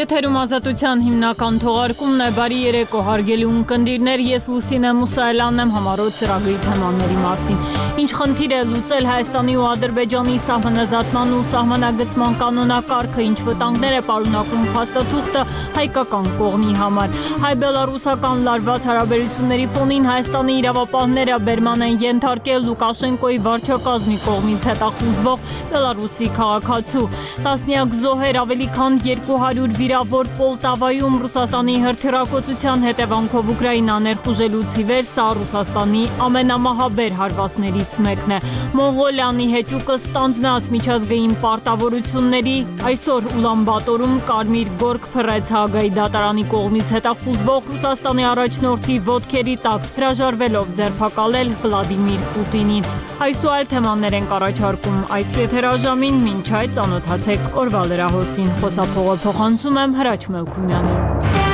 Եթերում ազատության հիմնական թողարկումն է, բարի երեկո հարգելի ունկնդիրներ, ես Լուսինե Մուսայելյանն եմ համառոտ ծրագրի թեմաների մասին։ Ինչ խնդիր է լուծել Հայաստանի ու Ադրբեջանի սահմանազատման ու սահմանագծման կանոնակարգը, ինչ վտանգներ է պարունակում փաստաթուղթը հայկական կողմի համար։ Հայ-բելարուսական լարված հարաբերությունների ֆոնին Հայաստանի իրավապահները բերման են ենթարկել Լուկաշենկոյի վարչակազմի կողմից հետախուզվող Բելարուսի քաղաքացու։ Տասնյակ զոհեր, ավելի քան 200 վիրավոր Պոլտավայում Ռուսաստանի հրթիռակոծության հետևանքով Ուկրաինա ներխուժելուց ի վեր սա Ռուսաստանի ամենամահաբեր հարվածներից մեկն է։ Մոնղոլիանի հեճուկը ստանձնած միջազգային պարտավորությունների այսօր Ուլանբատորում կարմիր գորգ փռեց Հաագայի դատարանի կողմից հետախուզվող Ռուսաստանի առաջնորդի ոտքերի տակ, հրաժարվելով ձերբակալել Վլադիմիր Պուտինին։ Այս ու այլ թեմաներ ենք առաջարկում այս եթերաժամին, մինչ այդ ծանոթացեք օրվա լրահոսին։ Խոսափողը փոխանցում եմ Հրաչ Մելքումյանին։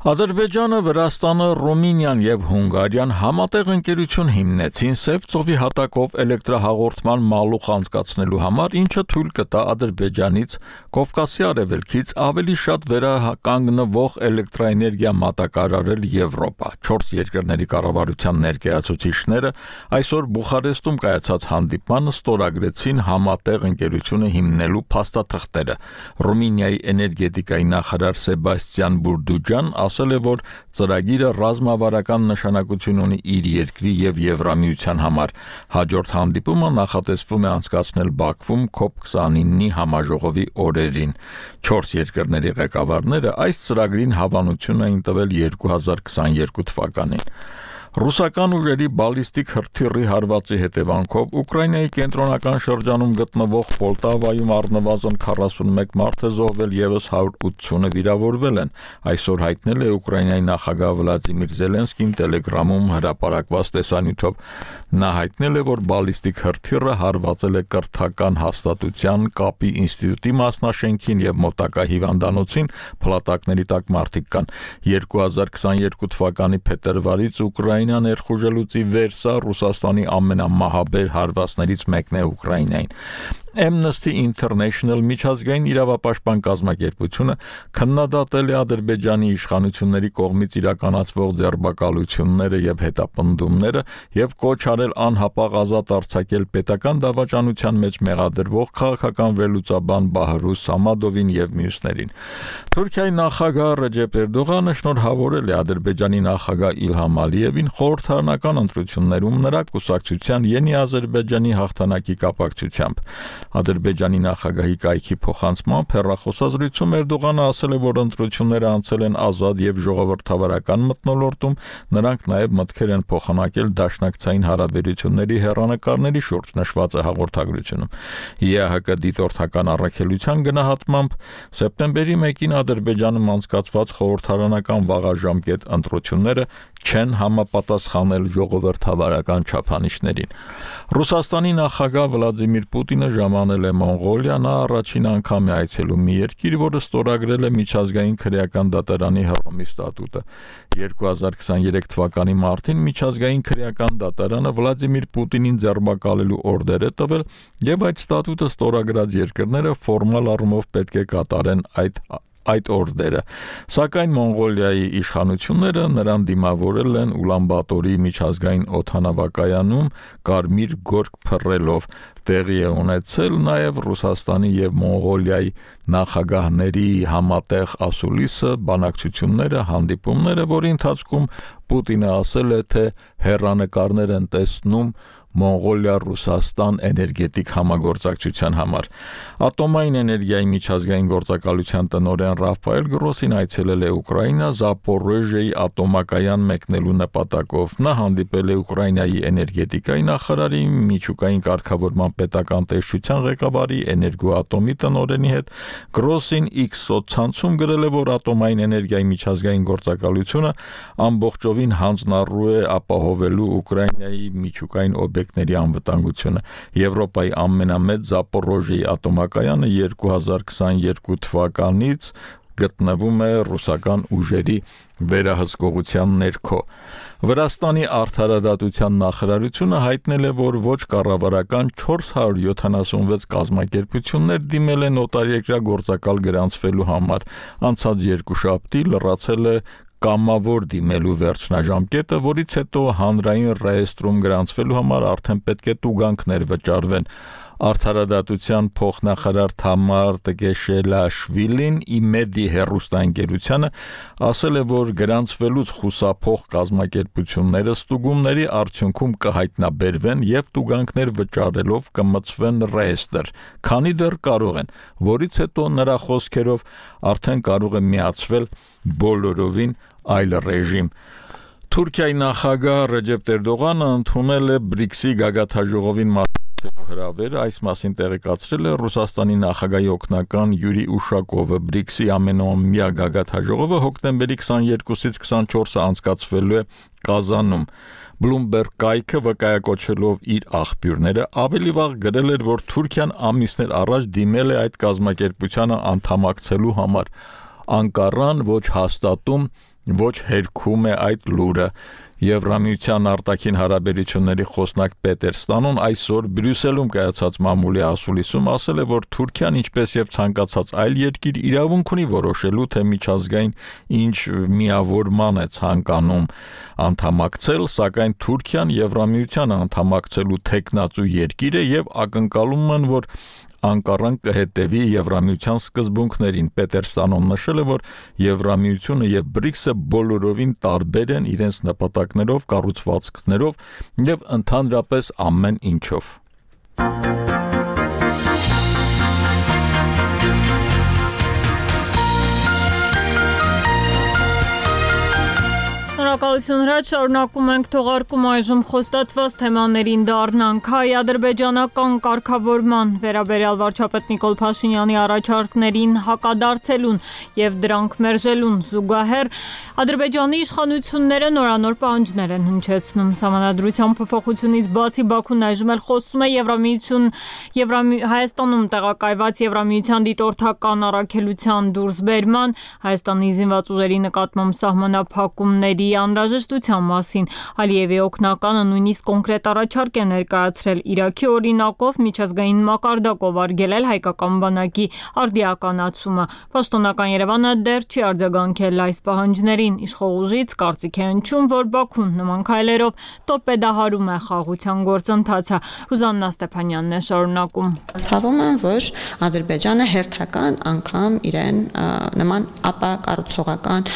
Ադրբեջանը, Վրաստանը, Ռումինիան եւ Հունգարիան համատեղ ընկերություն հիմնեցին Սև ծովի հատակով էլեկտրահաղորդման մալուխ անցկացնելու համար, ինչը թույլ կտա Ադրբեջանից Կովկասի արևելքից ավելի շատ վերականգնվող էլեկտրաէներգիա մատակարարել Եվրոպա։ 4 երկրների կառավարության ներկայացուցիչները այսօր Բուխարեստում կայացած հանդիպմանը ստորագրեցին համատեղ ընկերությունը հիմնելու փաստաթղթերը։ Ռումինիայի էներգետիկայի նախարար Սեբաստիան Բուրդուջան ասել է, որ ծրագիրը ռազմավարական նշանակություն ունի իր երկրի եւ Եվրամիության համար։ Հաջորդ հանդիպումը նախատեսվում է անցկացնել Բաքվում COP29-ի համաժողովի օրերին։ 4 երկրների ղեկավարները այս ծրագրին հավանություն էին տվել 2022 թվականին։ Ռուսական ուժերի բալիստիկ հրթիռի հարվածի հետևանքով Ուկրաինայի կենտրոնական շրջանում գտնվող Պոլտավայում առնվազն 41 մարդ է զոհվել, եւս 180-ը վիրավորվել են։ Այսօր հայտնել է Ուկրաինայի նախագահ Վլադիմիր Զելենսկին Տելեգրամում հրապարակված տեսանյութով։ Նա հայտնել է, որ բալիստիկ հրթիռը հարվածել է կրթական հաստատության, կապի ինստիտուտի մասնաշենքին եւ մոտակա հիվանդանոցին, փլատակների տակ մարդիկ կան։ 2022 թվականի փետրվարից Ուկրաինա ներխուժելուց ի վեր սա Ռուսաստանի ամենամահաբեր հարվածներից մեկն է Ուկրաինային։ Amnesty International միջազգային իրավապաշտպան կազմակերպությունը քննադատել է Ադրբեջանի իշխանությունների կողմից իրականացվող ձերբակալությունները եւ հետապնդումները եւ կոչ արել անհապաղ ազատ արձակել պետական դավաճանության մեջ մեղադրվող քաղաքական վերլուծաբան Բահրուս Սամադովին եւ մյուսներին։ Թուրքիայի նախագահ Ռեջեփ Էրդողանը շնորհավորել է Ադրբեջանի նախագահ Իլհամ Ալիևին խորհրդարանական ընտրություններում նրա կուսակցության Յենի Ադրբեջանի հաղթանակի կապակցությամբ։ Ադրբեջանի նախագահի կայքի փոխանցմամբ հեռախոսազրույցում Էրդողանը ասել է, որ ընտրությունները անցել են ազատ եւ ժողովրդավարական մթնոլորտում, նրանք նաեւ մտքեր են փոխանակել դաշնակցային հարաբերությունների հեռանկարների շուրջ, նշված է հաղորդագրությունում։ ԵԱՀԿ դիտորդական առաքելության գնահատմամբ սեպտեմբերի 1-ին Ադրբեջանում անցկացված խորհրդարանական վաղաժամկետ ընտրությունները չեն համապատասխանել ժողովրդավարական չափանիշներին։ Ռուսաստանի նախագահ Վլադիմիր Պուտինը ժամանել է Մոնղոլիա, նա առաջին անգամ է այցելում մի երկիր, որը ստորագրել է միջազգային քրեական դատարանի Հռոմի ստատուտը։ 2023 թվականի մարտին միջազգային քրեական դատարանը Վլադիմիր Պուտինին ձերբակալելու օրդեր է տվել, եւ այդ ստատուտը ստորագրած երկրները ֆորմալ առումով պետք է կատարեն այդ օրդերը, սակայն Մոնղոլիայի իշխանությունները նրան դիմավորել են Ուլանբատորի միջազգային օդանավակայանում կարմիր գորգ փռելով։ Տեղի է ունեցել նաև Ռուսաստանի եւ Մոնղոլիայի նախագահների համատեղ ասուլիսը, բանակցությունները, հանդիպումները, որի ընթացքում Պուտինը ասել է, թե հեռանկարներ են տեսնում Մոնղոլիա-Ռուսաստան էներգետիկ համագործակցության համար։ Ատոմային էներգիայի միջազգային գործակալության տնօրեն Ռաֆայել Գրոսին այցելել է Ուկրաինա Զապորոժիայի ատոմակայան մեկնելու նպատակով։ Նա հանդիպել է Ուկրաինայի էներգետիկայի նախարարի, միջուկային կարգավորման պետական տեսչության ղեկավարի, էներգոատոմի տնօրենի հետ։ Գրոսին X սոցցանցում գրել է, որ ատոմային էներգիայի միջազգային գործակալությունը ամբողջովին հանձնառու է ապահովելու Ուկրաինայի միջուկային օբյեկտների անվտանգությունը։ Եվրոպայի ամենամեծ Զապորոժիայի ատոմակայանը 2022 թվականից գտնվում է ռուսական ուժերի վերահսկողության ներքո։ Վրաստանի արդարադատության նախարարությունը հայտնել է, որ ոչ կառավարական 476 կազմակերպություններ դիմել են օտարերկրյա գործակալ գրանցվելու համար։ Անցած երկուշաբթի լրացել է կամավոր դիմելու վերջնաժամկետը, որից հետո հանրային ռեեստրում գրանցվելու համար արդեն պետք է տուգանքներ վճարվեն։ Արդարադատության փոխնախարար Թամար Տգեշելաշվիլին ԻՄԵԴ-ի հեռուստաընկերությանը ասել է, որ գրանցվելուց խուսափող կազմակերպությունները ստուգումների արդյունքում կհայտնաբերվեն եւ տուգանքներ վճարելով կմտցվեն ռեեստր, քանի դեռ կարող են, որից հետո նրա խոսքերով արդեն կարող է միացվել բոլորովին այլ ռեժիմ։ Թուրքիայի նախագահ Ռեջեփ Էրդողանը ընդունել է BRICS-ի գագաթնաժողովին հրավերը, այս մասին տեղեկացրել է Ռուսաստանի նախագահի օգնական Յուրի Ուշակովը։ BRICS-ի ամենաամյա գագաթնաժողովը հոկտեմբերի 22-ից 24-ը անցկացվելու է Կազանում։ Bloomberg կայքը վկայակոչելով իր աղբյուրները ավելի վաղ գրել էր, որ Թուրքիան ամիսներ առաջ դիմել է այդ կազմակերպությանը անդամակցելու համար։ Անկարան ոչ հաստատում, ոչ հերքում է այդ լուրը։ Եվրամիության արտաքին հարաբերությունների խոսնակ Պետեր Ստանոն այսօր Բրյուսելում կայացած մամուլի ասուլիսում ասել է, որ Թուրքիան, ինչպես եւ ցանկացած այլ երկիր, իրավունք ունի որոշելու, թե միջազգային ինչ միավորման է ցանկանում անդամակցել, սակայն Թուրքիան Եվրամիության անդամակցելու թեկնածու երկիր է եւ ակնկալում են, որ Անկարան կհետևի Եվրամիության սկզբունքներին։ Պետեր Ստանոն նշել է, որ Եվրամիությունը եւ BRICS-ը բոլորովին տարբեր են իրենց նպատակներով, կառուցվածքներով եւ ընդհանրապես ամեն ինչով։ Շնորհակալություն Հրաչ, շարունակում ենք թողարկում այժմ խոստացված թեմաներին դառնանք։ Հայ-ադրբեջանական կարգավորման վերաբերյալ վարչապետ Նիկոլ Փաշինյանի առաջարկներին հակադարձելուն եւ դրանք մերժելուն զուգահեռ Ադրբեջանի իշխանությունները նորանոր պահանջներ են հնչեցնում։ Սահմանադրության փոփոխությունից բացի Բաքուն այժմ էլ խոսում է Հայաստանում տեղակայված Եվրամիության դիտորդական առաքելության դուրսբերման, Հայաստանի զինված ուժերի նկատմամբ սահմանափակումների անհրաժեշտության մասին։ Ալիևի օգնականը նույնիսկ կոնկրետ առաջարկ է ներկայացրել Իրաքի օրինակով միջազգային մակարդակով արգելել հայկական բանակի արդիականացումը։ Պաշտոնական Երևանը դեռ չի արձագանքել այս պահանջներին։ Իշխող ուժից կարծիք է հնչում, որ Բաքուն նման քայլերով տորպեդահարում է խաղաղության գործընթացը։ Ռուզաննա Ստեփանյանն է շարունակում։ Ցավում եմ, որ Ադրբեջանը հերթական անգամ իրեն նման ապակառուցողական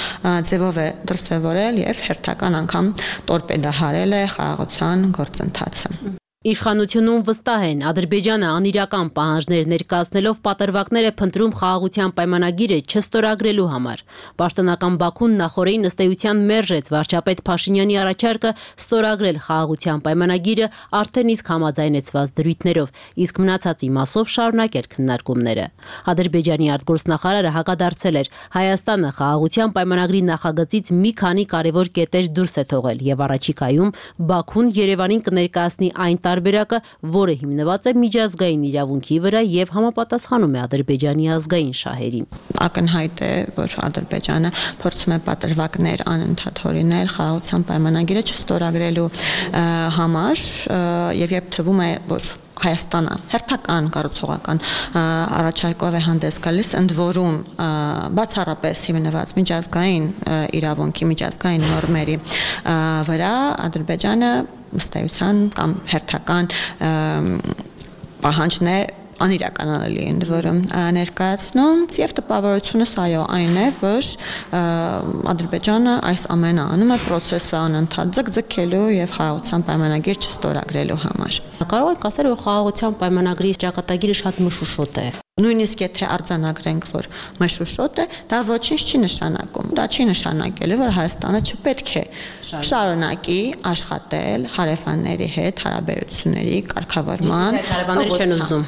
ձևով է դրսևորել եւ հերթական անգամ տորպեդահարել է խաղաղության գործընթացը։ Իշխանությունում վստահ են, Ադրբեջանը անիրական պահանջներ ներկայացնելով պատրվակներ է փնտրում խաղաղության պայմանագիրը չստորագրելու համար։ Պաշտոնական Բաքուն նախորդին ըստ էության մերժեց վարչապետ Փաշինյանի առաջարկը ստորագրել խաղաղության պայմանագիրը արդեն իսկ համաձայնեցված դրույթներով, իսկ մնացածի մասով շարունակել քննարկումները։ Ադրբեջանի արտգործնախարարը հակադարձել էր, Հայաստանը խաղաղության պայմանագրի նախագծից մի քանի կարևոր կետեր դուրս է թողել եւ առաջիկայում Բաքուն Երևանին կներկայացնի այն տարբերակը, որը հիմնված է միջազգային իրավունքի վրա եւ համապատասխանում է Ադրբեջանի ազգային շահերին։ Ակնհայտ է, որ Ադրբեջանը փորձում է պատրվակներ անընդհատ հորինել խաղաղության պայմանագիրը չստորագրելու համար եւ երբ թվում է, որ Հայաստանը հերթական կառուցողական առաջարկով է հանդես գալիս, ընդ որում բացառապես հիմնված միջազգային իրավունքի, միջազգային նորմերի վրա, Ադրբեջանը ըստ էության կամ հերթական պահանջն է անիրականանալի ընդ որում ներկայացնում եւ տպավորությունս այո այն է, որ Ադրբեջանը այս ամենը անում է process-ը անընդհատ ձգձգելու եւ խաղաղության պայմանագիր չստորագրելու համար։ Կարող եք ասել, որ խաղաղության պայմանագրի ճակատագիրը շատ մշուշոտ է։ Նույնիսկ եթե արձանագրենք, որ մշուշոտ է, դա ոչինչ չի նշանակում։ Դա չի նշանակելու, որ Հայաստանը չպետք է շարունակի աշխատել հարևանների հետ հարաբերությունների կարգավորման։ Հարևանները չեն ուզում։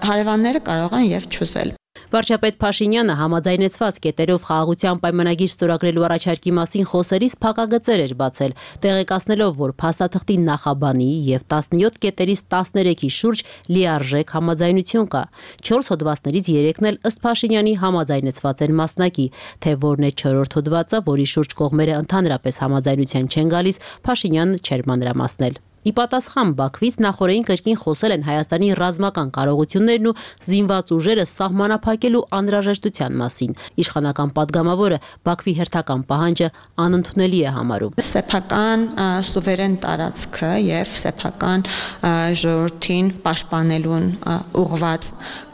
Հարևանները կարող են եւ չուզել։ Վարչապետ Փաշինյանը համաձայնեցված կետերով խաղաղության պայմանագիր ստորագրելու առաջարկի մասին խոսելիս փակագծեր էր բացել, տեղեկացնելով, որ փաստաթղթի նախաբանի եւ 17 կետերից 13-ի շուրջ լիարժեք համաձայնություն կա։ 4 հոդվածներից 3-ն էլ ըստ Փաշինյանի համաձայնեցված են մասնակի, թե որն է 4-րդ հոդվածը, որի շուրջ կողմերը ընդհանրապես համաձայնության չեն գալիս, Փաշինյանը չէր մանրամասնել։ Ի պատասխան Բաքվից նախորդին կրկին խոսել են Հայաստանի ռազմական կարողություններն ու զինված ուժերը սահմանափակելու անհրաժեշտության մասին։ Իշխանական падգամավորը Բաքվի հերթական պահանջը անընդունելի է համարում։ Սեփական սուվերեն տարածքը եւ սեփական ժողովրդին պաշտպանելուն ուղղված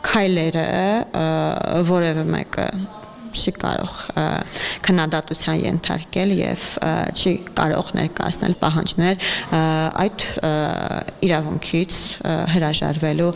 քայլերը որևէ մեկը չի կարող քննադատության ենթարկել եւ չի կարող ներկայացնել պահանջներ այդ իրավունքից հրաժարվելու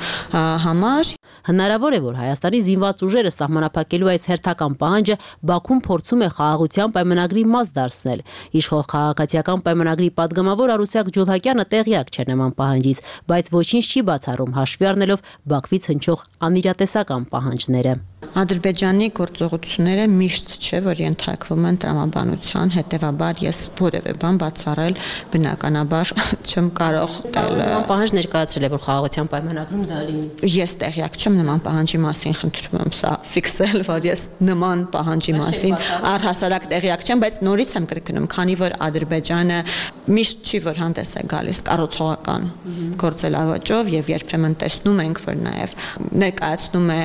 համար։ Հնարավոր է, որ Հայաստանի զինված ուժերը սահմանափակելու այս հերթական պահանջը Բաքուն փորձում է խաղաղության պայմանագրի մաս դարձնել։ Իշխող քաղաքացիական պայմանագրի падգամավոր Արուսյակ Ջուլհակյանը տեղյակ չէ նման պահանջից, բայց ոչինչ չի բացառում հաշվի առնելով Բաքվից հնչող անիրատեսական պահանջները։ Ադրբեջանի գործողությունները միշտ չէ, որ ենթարկվում են տրամաբանության, հետևաբար ես որևէ բան բացառել բնականաբար չեմ կարող տալ։ Նման պահանջ ներկայացրել է, որ խաղաղության պայմանագրում դա լինի։ Ես տեղյակ չեմ նման պահանջի մասին, խնդրում եմ սա ֆիքսել, որ ես նման պահանջի մասին առհասարակ տեղյակ չեմ, բայց նորից եմ կրկնում, քանի որ Ադրբեջանը միշտ չի որ հանդես է գալիս կառուցողական գործելավոճով եւ երբեմն տեսնում ենք, որ նաեւ ներկայացնում է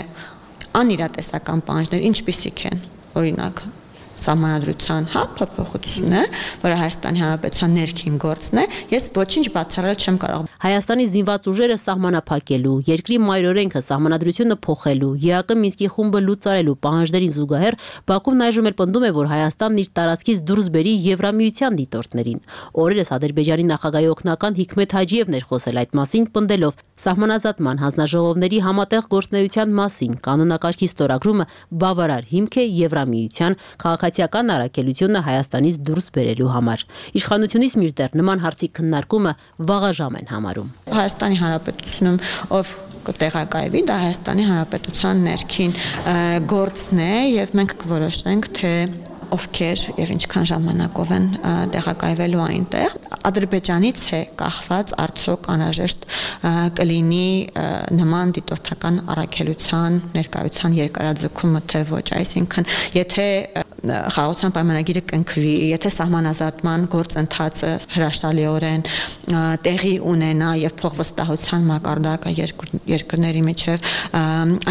անիրատեսական պահանջներ, ինչպիսիք են, օրինակ Սահմանադրության փոփոխությունը, որը Հայաստանի Հանրապետության ներքին գործն է, ես ոչինչ բացառել չեմ կարող։ Հայաստանի զինված ուժերը սահմանափակելու, երկրի մայրօրենքը սահմանադրությունը փոխելու, ԵԱԿ Մինսկի խումբը լուծարելու պահանջներին զուգահեռ Բաքուն այժմ էլ պնդում է, որ Հայաստանն իր տարածքից դուրս բերի Եվրամիության դիտորդներին։ Օրերս Ադրբեջանի նախագահի օգնական Հիկմետ Հաջիևն էր խոսել այդ մասին, պնդելով սահմանազատման հանձնաժողովների համատեղ գործունեության մասին կանոնակարգի ստորագրումը բավարար հիմք է Եվրամիության քաղաքացիական առաքելությունը Հայաստանից դուրս բերելու համար։ Իշխանությունից մինչդեռ նման հարցի քննարկումը վաղաժամ են համարում։ Հայաստանի Հանրապետությունում ով կտեղակայվի, դա Հայաստանի Հանրապետության ներքին գործն է եւ մենք կորոշենք, թե ովքեր եւ ինչքան ժամանակով են տեղակայվելու այնտեղ։ Ադրբեջանից է կախված արդյոք անհրաժեշտ կլինի նման դիտորդական առաքելության ներկայության երկարաձգումը թե ոչ, այսինքն եթե խաղաղության պայմանագիրը կնքվի, եթե սահմանազատման գործընթացը հրաշալիորեն տեղի ունենա եւ փոխվստահության մակարդակը երկրների միջև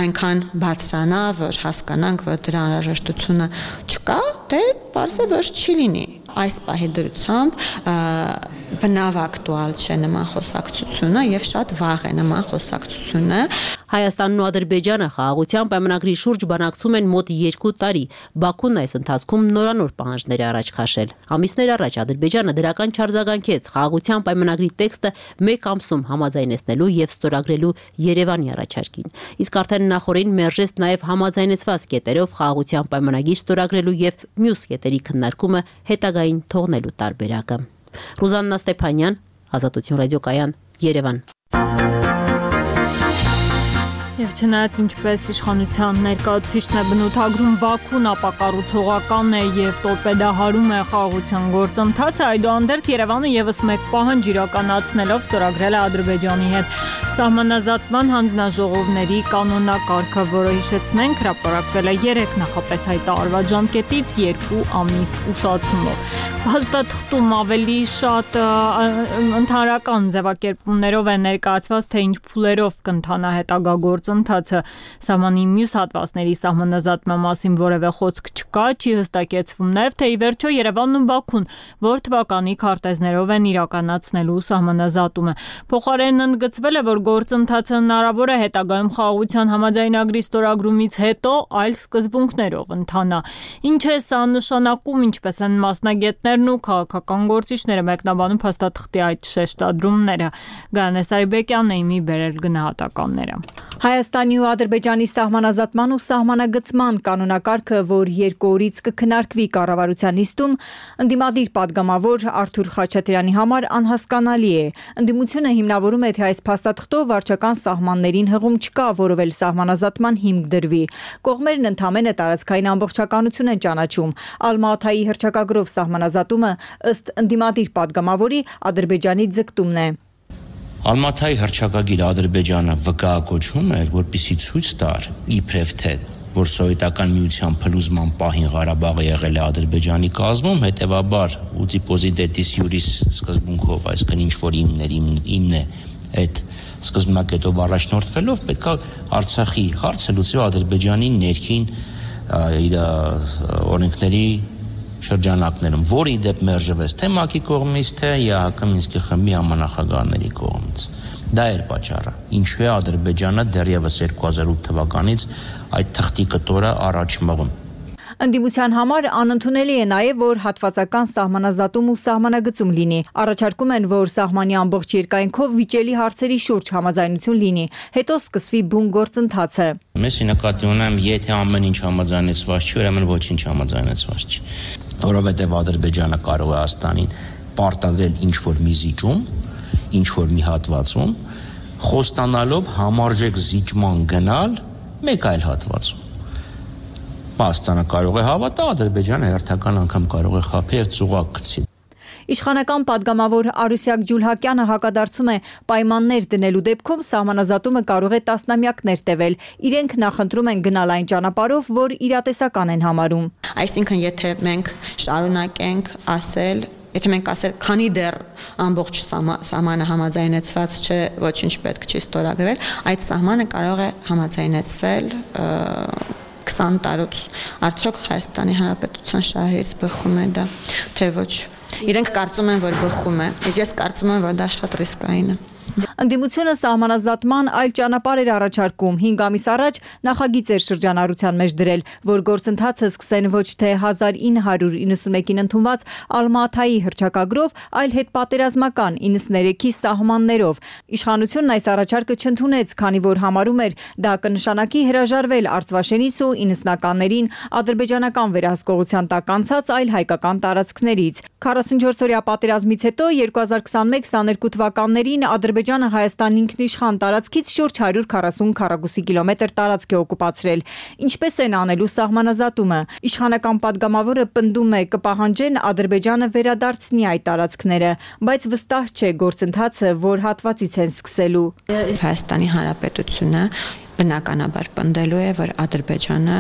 այնքան բարձրանա, որ հասկանանք, որ դրա անհրաժեշտությունը չկա, դե բարձ է որ չի լինի։ Այս պահի դրությամբ բնավ ակտուալ չէ նման խոսակցությունը եւ շատ վաղ է նման խոսակցությունը։ Հայաստանն ու Ադրբեջանը խաղաղության պայմանագրի շուրջ բանակցում են մոտ 2 տարի։ Բաքուն այս ընթացքում նորանոր պահանջներ է առաջ քաշել։ Ամիսներ առաջ Ադրբեջանը դրական չարձագանքեց խաղաղության պայմանագրի տեքստը 1 ամսում համաձայնեցնելու եւ ստորագրելու Երևանի առաջարկին։ Իսկ արդեն նախորդին մերժեց նաեւ համաձայնեցված կետերով խաղաղության պայմանագիր ստորագրելու եւ մյուս կետերի քննարկումը հետագային թողնելու տարբերակը։ Ռուզաննա Ստեփանյան, Ազատություն ռադիոկայան, Երևան։ Եվ չնայած ինչպես իշխանության ներկայացուցիչն է բնութագրում Բաքուն ապակառուցողական է եւ տորպեդահարում է խաղաղության գործընթացը, այդուհանդերձ Երևանը եւս մեկ պահանջ իրականացնելով ստորագրել է Ադրբեջանի հետ սահմանազատման հանձնաժողովների կանոնակարգը, որը հիշեցնենք հրապարակվել է 3 նախապես հայտարարված ժամկետից 2 ամիս ուշացումով։ Փաստաթղթում ավելի շատ ընդհանրական ձևակերպումներով է ներկայացված, թե ինչ փուլերով կընթանա հետագա գործընթացը։ Սահմանի մյուս հատվածների սահմանազատման մասին որևէ խոսք չկա, չի հստակեցվում նաև, թե ի վերջո Երևանն ու Բաքուն որ թվականի քարտեզներով են իրականացնելու սահմանազատումը։ Փոխարենն ընդգծվել է, որ գործընթացը հնարավոր է հետագայում խաղաղության համաձայնագրի ստորագրումից հետո այլ սկզբունքներով ընթանա։ Ինչ է սա նշանակում, ինչպես են մասնագետներն ու քաղաքական գործիչները մեկնաբանում փաստաթղթի այդ շեշտադրումները։ Գայանե Սարիբեկյանն է իմի բերել գնահատականները։ Հայաստանի ու Ադրբեջանի սահմանազատման ու սահմանագծման կանոնակարգը, որ 2 օրից կքննարկվի կառավարության նիստում, ընդդիմադիր պատգամավոր Արթուր Խաչատրյանի համար անհասկանալի է։ Ընդդիմությունը հիմնավորում է, թե այս փաստաթղթով վարչական սահմաններին հղում չկա, որով էլ սահմանազատման հիմք դրվի։ Կողմերն ընդամենը տարածքային ամբողջականություն են ճանաչում։ Ալմա-Աթայի հռչակագրով սահմանազատումը ըստ ընդդիմադիր պատգամավորի Ադրբեջանի ձգտումն է։ Ալմա-Աթայի հռչակագիրը Ադրբեջանը վկայակոչում էր, որպեսզի ցույց տար իբրև թե որ սովետական միության փլուզման պահին Ղարաբաղը եղել է Ադրբեջանի կազմում, հետևաբար ուտիպոզիդետիս յուրիս սկզբունքով, այսինքն ինչ որ իմն է այդ սկզբնակետով առաջնորդվելով պետք է Արցախի հարցը լուծվի Ադրբեջանի ներքին իր օրենքների շրջանակներում, որը ի դեպ մերժվեց թե ՄԱԿ-ի կողմից, թե ԵԱՀԿ Մինսկի խմբի համանախագահների կողմից։ Դա էր պատճառը, ինչու է Ադրբեջանը դեռևս 2008 թվականից այդ թղթի կտորը առաջ մղում։ Ընդդիմության համար անընդունելի է նաև, որ հատվածական սահմանազատում ու սահմանագծում լինի։ Առաջարկում են, որ սահմանի ամբողջ երկայնքով վիճելի հարցերի շուրջ համաձայնություն լինի, հետո սկսվի բուն գործընթացը։ Ես նկատի ունեմ, եթե ամեն ինչ համաձայնեցված չի, ուրեմն ոչինչ համաձայնեցված չի, որովհետև Ադրբեջանը կարող է Հայաստանին պարտադրել ինչ-որ մի զիջում, ինչ-որ մի հատվածում, խոստանալով համարժեք զիջման գնալ մեկ այլ հատվածում։ Հայաստանը կարող է հավատա, Ադրբեջանը հերթական անգամ կարող է խաբի ծուղակ գցի։ Իշխանական պատգամավոր Արուսյակ Ջուլհակյանը հակադարձում է պայմաններ դնելու դեպքում սահմանազատումը կարող է տասնամյակներ տևել։ Իրենք նախընտրում են գնալ այն ճանապարհով, որ իրատեսական են համարում։ Այսինքն, եթե մենք շարունակենք ասել, եթե մենք ասել, քանի դեռ ամբողջ սահմանը համաձայնեցված չէ, ոչինչ պետք չի ստորագրել, այդ սահմանը կարող է համաձայնեցվել 20 տարուց, արդյոք Հայաստանի Հանրապետության շահերից բխում է դա, թե ոչ։ Իրենք կարծում են, որ բխում է, իսկ ես կարծում եմ, որ դա շատ ռիսկային է։ Ընդդիմությունը սահմանազատման այլ ճանապարհ էր առաջարկում։ 5 ամիս առաջ նախագիծ էր շրջանառության մեջ դրել, որ գործընթացը սկսեն ոչ թե 1991-ին ընդունված Ալմա-Աթայի հռչակագրով, այլ հետպատերազմական 93-ի սահմաններով։ Իշխանությունն այս առաջարկը չընդունեց, քանի որ համարում էր դա կնշանակի հրաժարվել Արցվաշենից ու 90-ականներին ադրբեջանական վերահսկողության տակ անցած այլ հայկական տարածքներից։ 44-օրյա պատերազմից հետո 2021-22 թվականներին Ադրբեջանը Հայաստանի ինքնիշխան տարածքից շուրջ 140 քառակուսի կիլոմետր տարածք է օկուպացրել։ Ինչպես են անելու սահմանազատումը։ Իշխանական պատգամավորը պնդում է կպահանջեն Ադրբեջանը վերադարձնի այդ տարածքները, բայց վստահ չէ գործընթացը որ հատվածից են սկսելու։ Հայաստանի Հանրապետությունը բնականաբար պնդելու է, որ Ադրբեջանը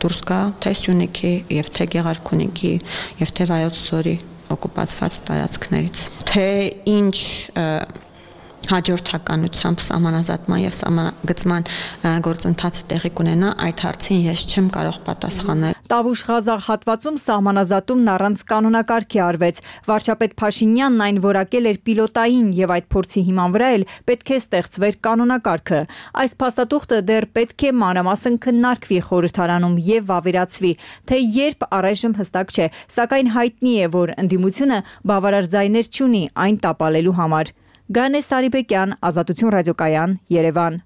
դուրս գա թե Սյունիքի, եւ թե Գեղարքունիքի, եւ թե Վայոց ձորի օկուպացված տարածքներից։ Թե ինչ հաջորդականությամբ սահմանազատման եւ սահմանագծման գործընթացը տեղի կունենա, այդ հարցին ես չեմ կարող պատասխանել։ Տավուշ-Ղազախ հատվածում սահմանազատումն առանց կանոնակարգի արվեց։ Վարչապետ Փաշինյանն այն որակել էր պիլոտային եւ այդ փորձի հիման վրա էլ պետք է ստեղծվեր կանոնակարգը։ Այս փաստաթուղթը դեռ պետք է մանրամասն քննարկվի խորհրդարանում եւ վավերացվի, թե երբ առայժմ հստակ չէ, սակայն հայտնի է, որ ընդդիմությունը բավարար ձայներ չունի այն տապալելու համար։ Գանե Սարիբեկյան, Ազատություն ռադիոկայան, Երևան։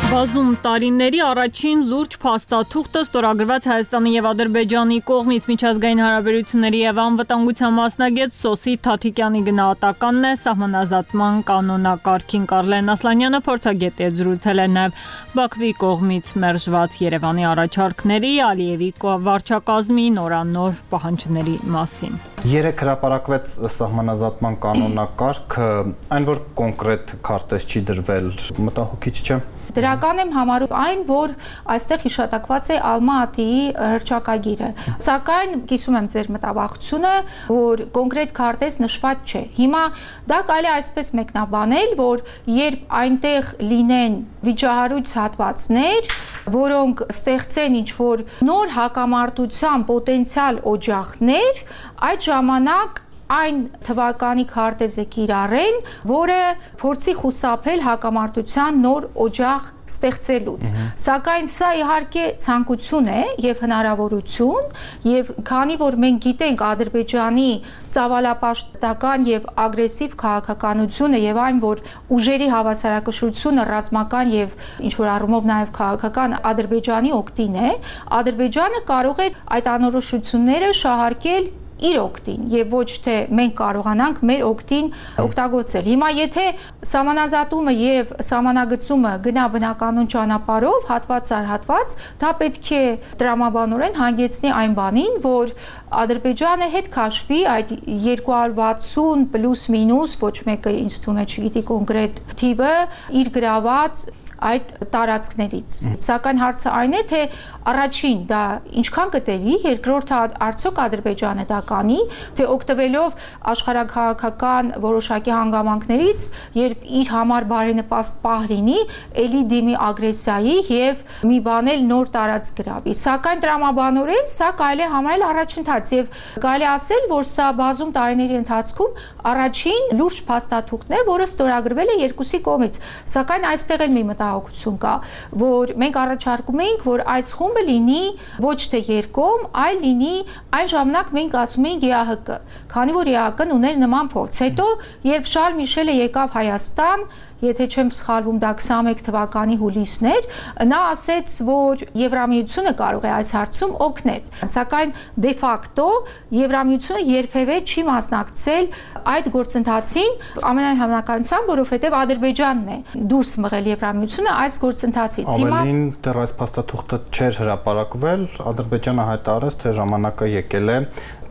Բազում տարիների առաջին լուրջ փաստաթուղթը ստորագրված Հայաստանի եւ Ադրբեջանի կողմից միջազգային հարաբերությունների եւ անվտանգության մասնագետ Սոսի Թաթիկյանի գնահատականն է սահմանազատման կանոնակարգին Կարլեն Ասլանյանը փորձագետ է զրուցել է նաեւ Բաքվի կողմից մերժված Երևանի առաջարկների Ալիևի վարչակազմի նորանոր պահանջների մասին։ Երեք հրապարակվեց սահմանազատման կանոնակարգը, այն որ կոնկրետ քարտեզ չի դրվել, մտահոգիչ չէ։ Դրական եմ համարում այն, որ այստեղ հիշատակված է Ալմա-Աթիի հռչակագիրը։ Սակայն կիսում եմ ձեր մտավախությունը, որ կոնկրետ քարտեզ նշված չէ։ Հիմա դա կարելի է այսպես մեկնաբանել, որ երբ այնտեղ լինեն վիճահարույց հատվածներ, որոնք ստեղծեն ինչ-որ նոր հակամարտության պոտենցիալ օջախներ, այդ ժամանակ այն թվականի քարտեզը կիրառեն, որը փորձի խուսափել հակամարտության նոր օջախ ստեղծելուց։ Սակայն սա իհարկե ցանկություն է եւ հնարավորություն, եւ քանի որ մենք գիտենք Ադրբեջանի ծավալապաշտական եւ ագրեսիվ քաղաքականությունը եւ այն, որ ուժերի հավասարակշռությունը ռազմական եւ ինչ-որ առումով նաեւ քաղաքական Ադրբեջանի օգտին է, Ադրբեջանը կարող է այդ անորոշությունները շահարկել իր օգտին եւ ոչ թե մենք կարողանանք մեր օգտին օգտագործել։ Հիմա եթե սահմանազատումը եւ սահմանագծումը գնա բնականon ճանապարհով հատված առ հատված, դա պետք է տրամաբանորեն հանգեցնի այն բանին, որ Ադրբեջանը հետ քաշվի այդ 260 պլյուս մինուս, ոչ մեկը ինձ թվում է չգիտի կոնկրետ թիվը, իր գրաված այդ տարածքներից։ Սակայն հարցը այն է, թե առաջին դա ինչքան կտևի, երկրորդը արդյոք Ադրբեջանը դա կանի, թե օգտվելով աշխարհաքաղաքական որոշակի հանգամանքներից, երբ իր համար բարենպաստ պահ լինի, ելի դիմի ագրեսիայի եւ մի բան էլ նոր տարածք գրավի։ Սակայն տրամաբանորեն սա կարելի է համարել առաջընթաց եւ կարելի ասել, որ սա բազում տարիների ընթացքում առաջին լուրջ փաստաթուղթն է, որը ստորագրվել է երկուսի կողմից։ Սակայն այստեղ էլ մի մտահոգություն կա, որ մենք առաջարկում ենք, որ այս խումբը լինի ոչ թե երկկողմ, այլ լինի այն ժամանակ մենք ասում ենք ԵԱՀԿ, քանի որ ԵԱՀԿ-ն ուներ նման փորձ։ Հետո երբ Շարլ Միշելը եկավ Հայաստան, եթե չեմ սխալվում, դա 21 թվականի հուլիսն էր, նա ասեց, որ Եվրամիությունը կարող է այս հարցում օգնել։ Սակայն դե ֆակտո Եվրամիությունը երբևէ չի մասնակցել այդ գործընթացին, ամենայն հավանականությամբ, որովհետև Ադրբեջանն է դուրս մղել Եվրամիությունը այս գործընթացից։ Ավելին դեռ այս փաստաթուղթը չէր հրապարակվել, Ադրբեջանը հայտարարեց, թե ժամանակը եկել է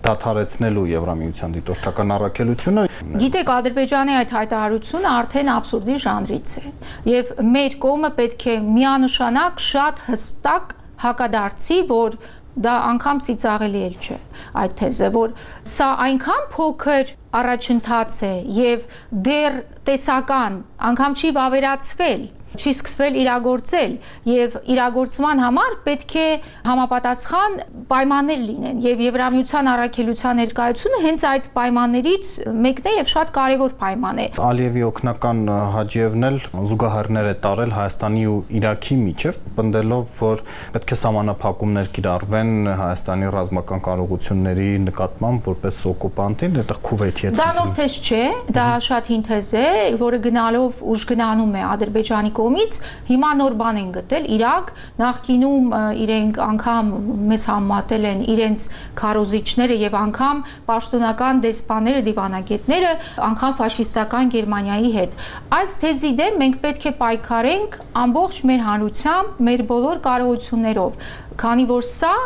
դադարեցնելու Եվրամիության դիտորդական առաքելությունը։ Գիտեք, Ադրբեջանի այդ հայտարարությունը արդեն աբսուրդի ժանրից է, եւ մեր կողմը պետք է միանշանակ շատ հստակ հակադարձի, որ դա անգամ ծիծաղելի էլ չէ այդ թեզը, որ սա այնքան փոքր առաջընթաց է եւ դեռ տեսական, անգամ չի վավերացվել, չի սկսվել իրագործել եւ իրագործման համար պետք է համապատասխան պայմաններ լինեն եւ Եվրամիության առաքելության ներկայությունը հենց այդ պայմաններից մեկն է եւ շատ կարեւոր պայման է։ Ալիևի օգնական Հաջիևն էլ զուգահեռներ է տարել Հայաստանի ու Իրաքի միջև, պնդելով, որ պետք է սահմանափակումներ կիրառվեն Հայաստանի ռազմական կարողությունների նկատմամբ որպես օկուպանտին, այդտեղ Քուվեյթի հետ։ Դա նոր թեզ չէ, դա շատ հին թեզ է, որը գնալով ուժգնանում է Ադրբեջանի կողմից, հիմա նոր բան են գտել Իրաք, նախկինում իրենք անգամ մեզ համատել են իրենց քարոզիչները եւ անգամ պաշտոնական դեսպանները, դիվանագետները, անգամ ֆաշիստական Գերմանիայի հետ։ Այս թեզի դեմ մենք պետք է պայքարենք ամբողջ մեր հանրությամբ, մեր բոլոր կարողություններով, քանի որ սա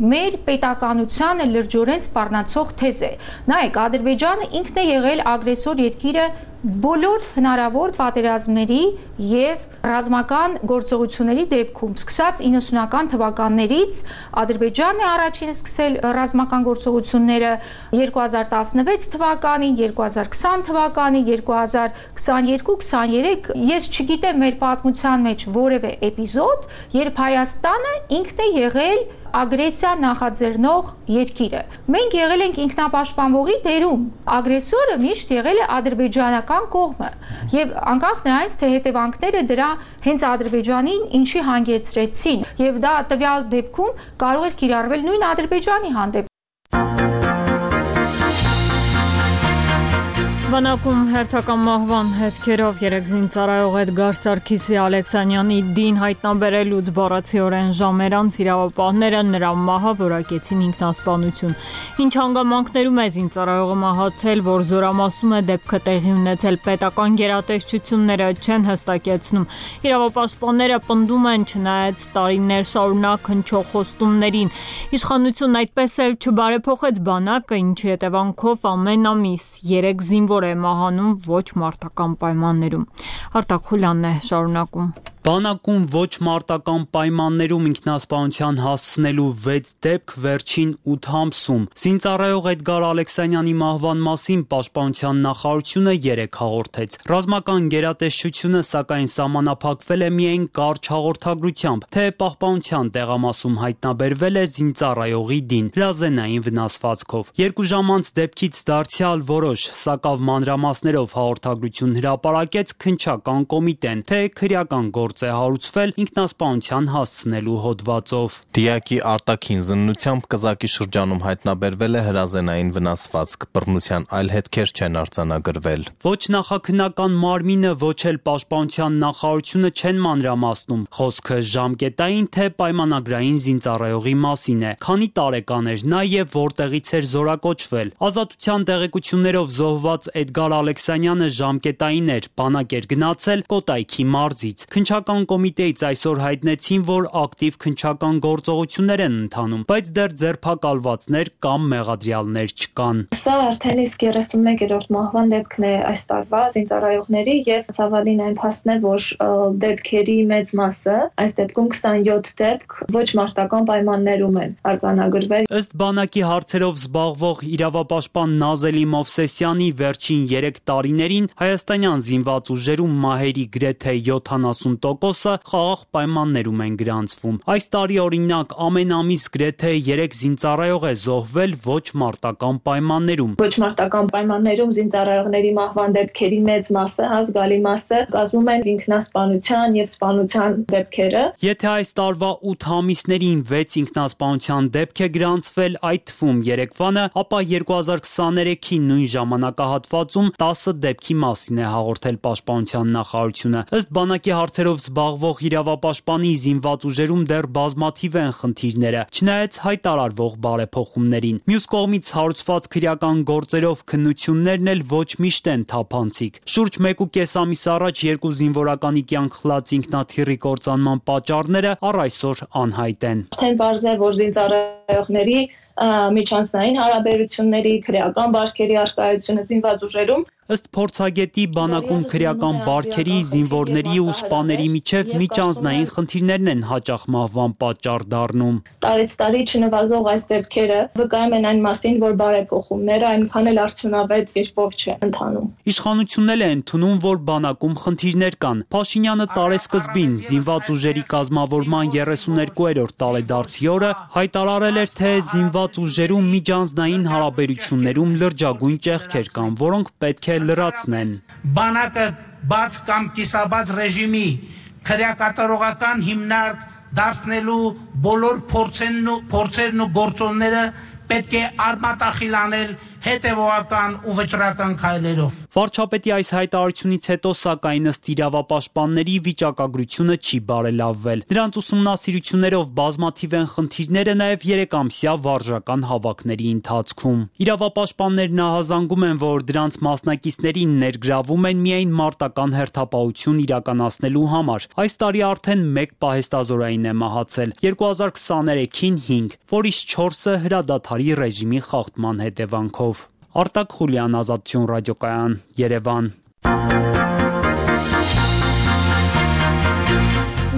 մեր պետականությանը լրջորեն սպառնացող թեզ է։ Նայեք, Ադրբեջանը ինքն է եղել ագրեսոր երկիրը բոլոր հնարավոր պատերազմների եւ ռազմական գործողությունների դեպքում, սկսած 90-ական թվականներից Ադրբեջանն է առաջինը սկսել ռազմական գործողությունները 2016 թվականին, 2020 թվականին, 2022-23, ես չգիտեմ մեր պատմության մեջ որևէ էպիզոդ, երբ Հայաստանը ինքն է եղել ագրեսիա նախաձեռնող երկիրը։ Մենք եղել ենք ինքնապաշտպանողի դերում։ Ագրեսորը միշտ եղել է ադրբեջանական կողմը։ Եվ անկախ նրանից, թե հետևանքները դրա հենց Ադրբեջանին ինչի հանգեցրեցին, եւ դա տվյալ դեպքում կարող էր կիրառվել նույն Ադրբեջանի հանդեպ։ Բանակում հերթական մահվան հետքերով երեքզին ծառայող Էդգար Սարգիսի Ալեքսանյանի դին հայտնաբերելուց բառացիորեն ժամեր անց իրավապահները նրա մահը որակեցին ինքնասպանություն։ Ինչ հանգամանքներում է զինծառայողը մահացել, որ զորամասում է դեպքը տեղի ունեցել, պետական գերատեսչությունները չեն հստակեցնում։ Իրավապաշտպանները պնդում են, չնայած տարիներ շարունակ հնչող խոստումներին, իշխանությունն այդպես էլ չբարեփոխեց բանակը, ինչի հետևանքով ամեն ամիս 3 զինվոր է մահանում ոչ մարտական պայմաններում։ Արտակ Խուլյանն է շարունակում։ Բանակում ոչ մարտական պայմաններում ինքնասպանության հասցնելու 6 դեպք վերջին 8 ամսում։ Զինծառայող Էդգար Ալեքսանյանի մահվան մասին Պաշտպանության նախարարությունը 3 հաղորդեց։ Ռազմական գերատեսչությունը սակայն սահմանափակվել է միայն կարճ հաղորդագրությամբ, թե Պահպանության տեղամասում հայտնաբերվել է զինծառայողի դին հրազենային վնասվածքով։ 2 ժամ անց դեպքից դարձյալ որոշ սակավ մանրամասներով հաղորդագրություն հրապարակեց քննչական կոմիտեն, թե քրեական գործ է հարուցվել ինքնասպանության հասցնելու հոդվածով։ Դիակի արտաքին զննությամբ կզակի շրջանում հայտնաբերվել է հրազենային վնասվածք, բռնության այլ հետքեր չեն արձանագրվել։ Ոչ նախաքննական մարմինը, ոչ էլ պաշտպանության նախարարությունը չեն մանրամասնում։ Խոսքը ժամկետային թե պայմանագրային զինծառայողի մասին է։ Քանի տարեկան էր նա եւ որտեղից էր զորակոչվել։ Ազատության տեղեկություններով զոհված Էդգար Ալեքսանյանը ժամկետային էր, բանակ էր գնացել Կոտայքի մարզից։ Քննչական կոմիտեից այսօր հայտնեցին, որ ակտիվ քննչական գործողություններ են ընթանում, բայց դեռ ձերբակալվածներ կամ մեղադրյալներ չկան։ Սա արդեն իսկ 31-րդ մահվան դեպքն է այս տարվա զինծառայողների եւ ցավալին այն փաստն է, որ դեպքերի մեծ մասը, այս դեպքում 27 դեպք ոչ մարտական պայմաններում են արձանագրվել։ Ըստ բանակի հարցերով զբաղվող իրավապաշտպան Նազելի Մովսեսյանի վերջին 3 տարիներին հայաստանյան զինված ուժերում մահերի գրեթե 70%-ը խաղաղ պայմաններում են գրանցվում։ Այս տարի օրինակ ամեն ամիս գրեթե 3 զինծառայող է զոհվել ոչ մարտական պայմաններում։ Ոչ մարտական պայմաններում զինծառայողների մահվան դեպքերի մեծ մասը, զգալի մասը կազմում են ինքնասպանության եւ սպանության դեպքերը։ Եթե այս տարվա 8 ամիսներին 6 ինքնասպանության դեպք է գրանցվել, այդ թվում 3-վանը, ապա 2023-ի նույն ժամանակահատվածում 10 դեպքի մասին է հաղորդել Պաշտպանության նախարարությունը։ Ըստ բանակի հարցերով զբաղվող իրավապաշտպանի զինված ուժերում դեռ բազմաթիվ են խնդիրները, չնայած հայտարարվող բարեփոխումներին։ Մյուս կողմից հարուցված քրեական գործերով քննություններն էլ ոչ միշտ են թափանցիկ։ Շուրջ 1.5 ամիս առաջ 2 զինվորականի կյանք խլած ինքնաթիռի կործանման պատճառները առ այսօր անհայտ են։ Արդեն բարձ է, որ զինծառայողների միջանցային հարաբերությունների, քրեական բարքերի առկայությունը զինված ուժերում Ըստ փորձագետի բանակում քրեական բարքերի, զինվորների ու սպաների միջև միջանձնային խնդիրներն են հաճախ մահվան պատճառ դառնում։ Տարեց տարի չնվազող այս դեպքերը վկայում են այն մասին, որ բարեփոխումները այնքան էլ արդյունավետ կերպով չեն ընթանում։ Իշխանությունն է ընդունում, որ բանակում խնդիրներ կան։ Փաշինյանը տարեսկզբին զինված ուժերի կազմավորման 32-րդ տարեդարձի օրը հայտարարել էր, թե զինված ուժերում միջանձնային հարաբերություններում լրջագույն ճեղքեր կան, որոնք պետք է լրացնեն։ Բանակը բաց կամ կիսաբաց ռեժիմի քրեակատարողական հիմնարկ դարձնելու բոլոր փորձերն ու գործոնները պետք է արմատախիլ անել հետևողական ու վճռական քայլերով։ Վարչապետի այս հայտարարությունից հետո սակայն ըստ իրավապաշտպանների վիճակագրությունը չի բարելավվել։ Դրանց ուսումնասիրություններով բազմաթիվ են խնդիրները նաև 3-ամսյա վարժական հավաքների ընթացքում։ Իրավապաշտպաններն ահազանգում են, որ դրանց մասնակիցներին ներգրավում են միայն մարտական հերթապահություն իրականացնելու համար։ Այս տարի արդեն 1 պահեստազորային է մահացել, 2023-ին 5, որից 4-ը հրադադարի ռեժիմի խախտման հետևանքով։ Արտակ Խուլյան, Ազատություն ռադիոկայան, Երևան։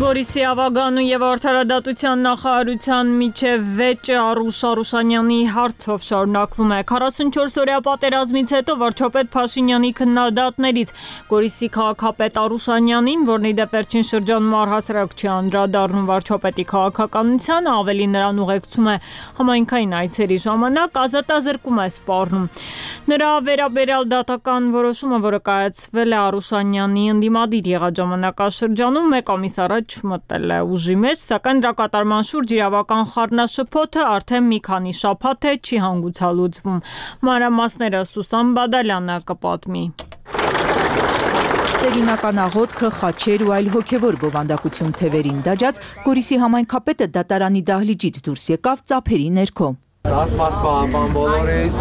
Գորիսի Ավագանու եւ Արդարադատության նախարարության միջև վեճը Արուշ Արուշանյանի հարցով շարունակվում է։ 44-օրյա պատերազմից հետո վարչապետ Փաշինյանի քննադատներից Գորիսի քաղաքապետ Արուշանյանին, որն ի դեպ վերջին շրջանում առհասարակ չի անդրադառնում վարչապետի քաղաքականությանը, ավելի նրան ուղեկցում է համայնքային այցերի ժամանակ, ազատազրկում է սպառնում։ Նրա վերաբերյալ դատական որոշումը, որը կայացվել է Արուշանյանի ընդդիմադիր եղած ժամանակաշրջանում, 1 ամիս առաջ մտել է ուժի մեջ, սակայն դրա կատարման շուրջ իրավական խառնաշփոթը արդեն մի քանի շաբաթ է չի հանգուցալուծվում։ Մանրամասները Սուսան Բադալյանը կպատմի։ Տերինական աղոթքը, խաչեր ու այլ հոգևոր բովանդակություն թևերին դաջած Գորիսի համայնքապետը դատարանի դահլիճից դուրս եկավ ծափերի ներքո։ Աստված պահապան բոլորիս,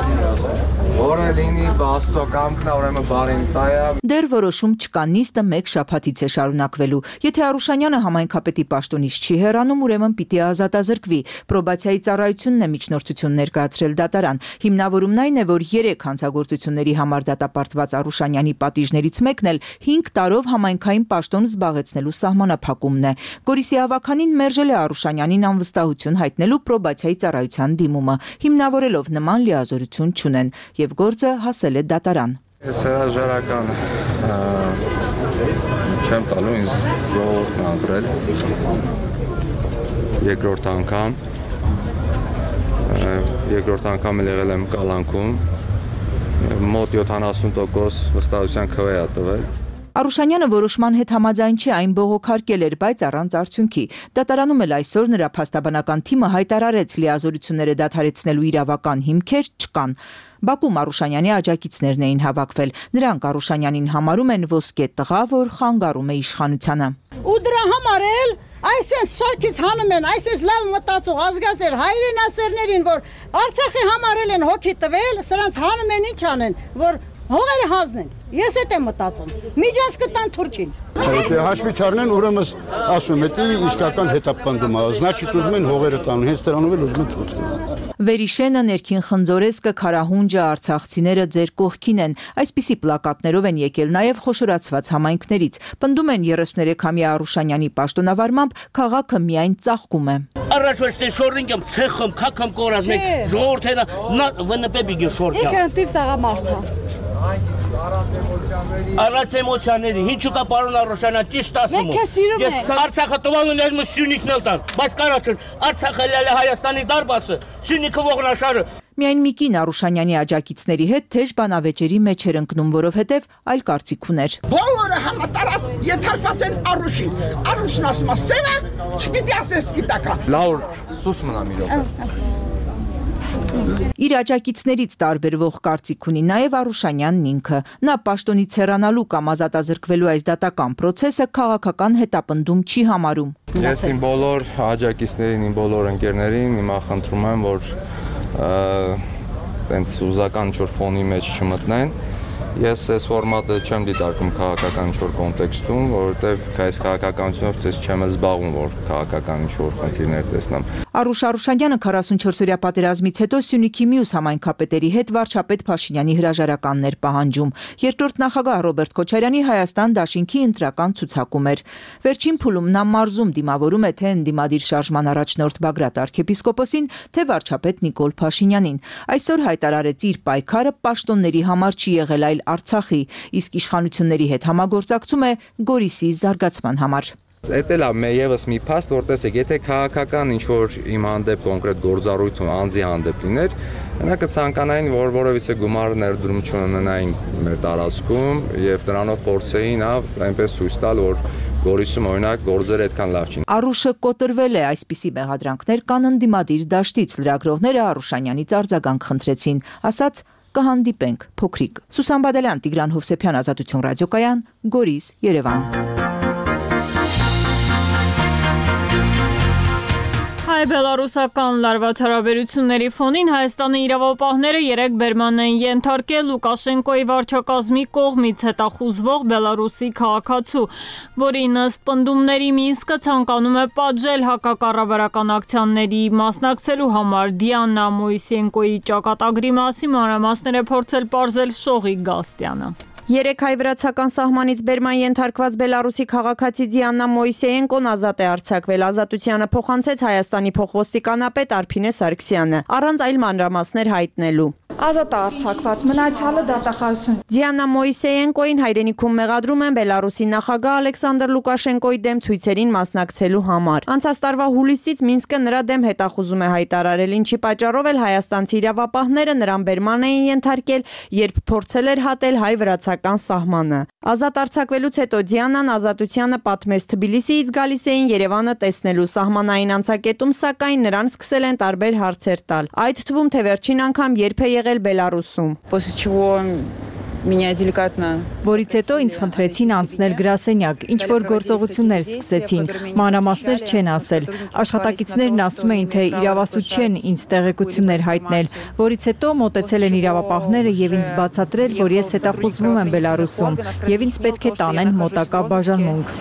որը լինի Աստծո կամքն է, ուրեմն բարին տայա։ Դեռ որոշում չկա, նիստը 1 շաբաթից է շարունակվելու։ Եթե Արուշանյանը համայնքապետի պաշտոնից չի հեռանում, ուրեմն պիտի ազատազրկվի։ Պրոբացիայի ծառայությունն է միջնորդություն ներկայացրել դատարան։ Հիմնավորումն այն է, որ 3 հանցագործությունների համար դատապարտված Արուշանյանի պատիժներից մեկն էլ 5 տարով համայնքային պաշտոն զբաղեցնելու սահմանափակումն է։ Գորիսի ավականին մերժել է Արուշանյանին անվստահություն հայտնելու պրոբացիայի ծառայության դիմումը, հիմնավորելով նման լիազորություն չունեն, եւ գործը հասել է դատարան։ Ես հրաժարական չեմ տալու, ինձ ժողովուրդն անդրել երկրորդ անգամ եղել եմ կալանքում, մոտ 70% վստահության քվե է տվել։ Արուշանյանը որոշման հետ համաձայն չէ, այն բողոքարկել էր, բայց առանց արդյունքի։ Դատարանում էլ այսօր նրա փաստաբանական թիմը հայտարարեց լիազորությունները դադարեցնելու իրավական հիմքեր չկան։ Բաքվում Արուշանյանի աջակիցներն էին հավաքվել։ Նրանք Արուշանյանին համարում են ոսկե տղա, որ խանգարում է իշխանությանը։ Ու դրա համար էլ այսպես շարքից հանում են, այսպես լավ մտածող ազգասեր հայրենասերներին, որ Արցախի համար են հոգի տվել, սրանց հանում են ինչ անեն, որ հողերը հանձնեն։ Ես էդ եմ մտածում։ Միջանց կտան Թուրքին։ Եթե հաշվի չառնեն, ուրեմն ասում եմ, դա իսկական հետապնդում է, значит ուզում են հողերը տան, հենց դրանով էլ ուզում են թուրքին։ Վերիշենը, ներքին խնձորեսկը, Քարահունջը, արցախցիները ձեր կողքին են։ Այսպիսի պլակատներով են եկել նաև խոշորացված համայնքներից։ Պնդում են 33-ամյա Արուշանյանի պաշտոնավարմամբ քաղաքը միայն ծաղկում է։ Առաջ ոչինչ շորինգեմ ցեխում, քակամ կորած մեկ ժողովրդը նա ՎՆՊ բիգի շորքա։ Եկե ընտիր տղամարդա։ Առաջ էմոցիաների, ինչու կա պարոն Արուշանյան ճիշտ ասում։ Ես Արցախը տվալուն եմ Սյունիքն էլ տան, բայց կարաչն Արցախը լալը Հայաստանի դարբասը, Սյունիքը ողնաշարը։ Միայն մի կին Արուշանյանի աջակիցների հետ թեժ բանավեճերի մեջ էր ընկնում, որովհետև այլ կարծիք ուներ։ Բոլորը համատարած ենթարկված են Արուշին։ Արուշն ասում է սևը, չպիտի ասես սպիտակա։ Լավ, սուս մնամ իրոք։ Իր աջակիցներից տարբերվող կարծիք ունի նաև Արուշանյանն ինքը։ Նա պաշտոնից հեռանալու կամ ազատազրկվելու այս դատական process-ը քաղաքական հետապնդում չի համարում։ Ես իմ բոլոր աջակիցներին, իմ բոլոր ընկերներին հիմա խնդրում եմ, որ տենց ուզական ինչ-որ ֆոնի մեջ չմտնեն։ Ես այս ֆորմատը չեմ դիտարկում քաղաքական ինչ-որ կոնտեքստում, որովհետև այս քաղաքականությունով դες չեմ զբաղվում, որ քաղաքական ինչ-որ խնդիրներ տեսնեմ։ Արուշ Արուշանյանը 44-օրյա պատերազմից հետո Սյունիքի մյուս համայնքապետերի հետ վարչապետ Փաշինյանի հրաժարականներ պահանջում։ Երկրորդ նախագահ Ռոբերտ Քոչարյանի Հայաստան դաշինքի ընտրական ցուցակում էր։ Վերջին փուլում նա մարզում դիմավորում է թե ընդդիմադիր շարժման առաջնորդ Բագրատ arczepiskoposին, թե վարչապետ Նիկոլ Փաշինյանին։ Այսօր հայտարարեց իր պայքարը պաշտոնների համար չի եղել, այլ Արցախի, իսկ իշխանությունների հետ համագործակցում է Գորիսի զարգացման համար։ Էդ էլ է եւս մի փաստ, որ տեսեք, եթե քաղաքական ինչ-որ իմ հանդեպ կոնկրետ գործառույթ անձի հանդեպ լիներ, նա կցանկանային, որ որևիցե գումար ներդրում չունենային մեր տարածքում եւ դրանով փորձեին այնպես ցույց տալ, որ Գորիսում օրինակ գործերը այդքան լավ չեն։ Արուշը կոտրվել է, այսպիսի մեղադրանքներ կան ընդդիմադիր դաշտից, լրագրողները Արուշանյանից արձագանք խնդրեցին, ասաց կհանդիպենք փոքրիկ։ Սուսան Բադալյան, Տիգրան Հովսեփյան, Ազատություն ռադիոկայան, Գորիս, Երևան։ Հայ-բելարուսական լարված հարաբերությունների ֆոնին Հայաստանի իրավապահները երեկ բերման են ենթարկել Լուկաշենկոյի վարչակազմի կողմից հետախուզվող Բելարուսի քաղաքացու, որի ըստ պնդումների Մինսկը ցանկանում է պատժել հակակառավարական ակցիաների մասնակցելու համար։ Դիանա Մոյսենկոյի ճակատագրի մասին մանրամասներ է փորձել պարզել Շողիկ Գաստյանը։ Երեք հայ-վրացական սահմանից բերման ենթարկված Բելարուսի քաղաքացի Դիանա Մոյսեենկոն ազատ է արձակվել։ Ազատությանը փոխանցեց Հայաստանի փոխոստիկանապետ Արփինե Սարգսյանը, առանց այլ մանրամասներ հայտնելու։ Ազատ է արձակված, մնացյալը դատախազություն։ Դիանա Մոյսեենկոին հայրենիքում մեղադրում են Բելարուսի նախագահ Ալեքսանդր Լուկաշենկոյի դեմ ցույցերին մասնակցելու համար։ Անցած տարվա հուլիսից Մինսկը նրա դեմ հետախուզում է հայտարարել, ինչի պատճառով էլ հայաստանցի իրավապահները նրան բերման էին ենթարկել, երբ փորձել էր հատել հայ-վրացական սահմանը։ Ազատ արձակվելուց հետո Դիանան ազատությանը պատմեց Թբիլիսիից գալիս էին Երևանը տեսնելու սահմանային անցակետում, սակայն նրան սկսել են տարբեր հարցեր տալ։ Այդ թվում թե վերջին անգամ երբ է եղել Բելարուսում։ Որից հետո ինձ խնդրեցին անցնել գրասենյակ, ինչ որ գործողություններ սկսեցին, մանրամասներ չեն ասել։ Աշխատակիցներն ասում էին, թե իրավասու չեն ինձ տեղեկություններ հայտնել, որից հետո մոտեցել են իրավապահները եւ ինձ բացատրել, որ ես հետախուզվում եմ Բելարուսում եւ ինձ պետք է տանեն մոտակա բաժանմունք։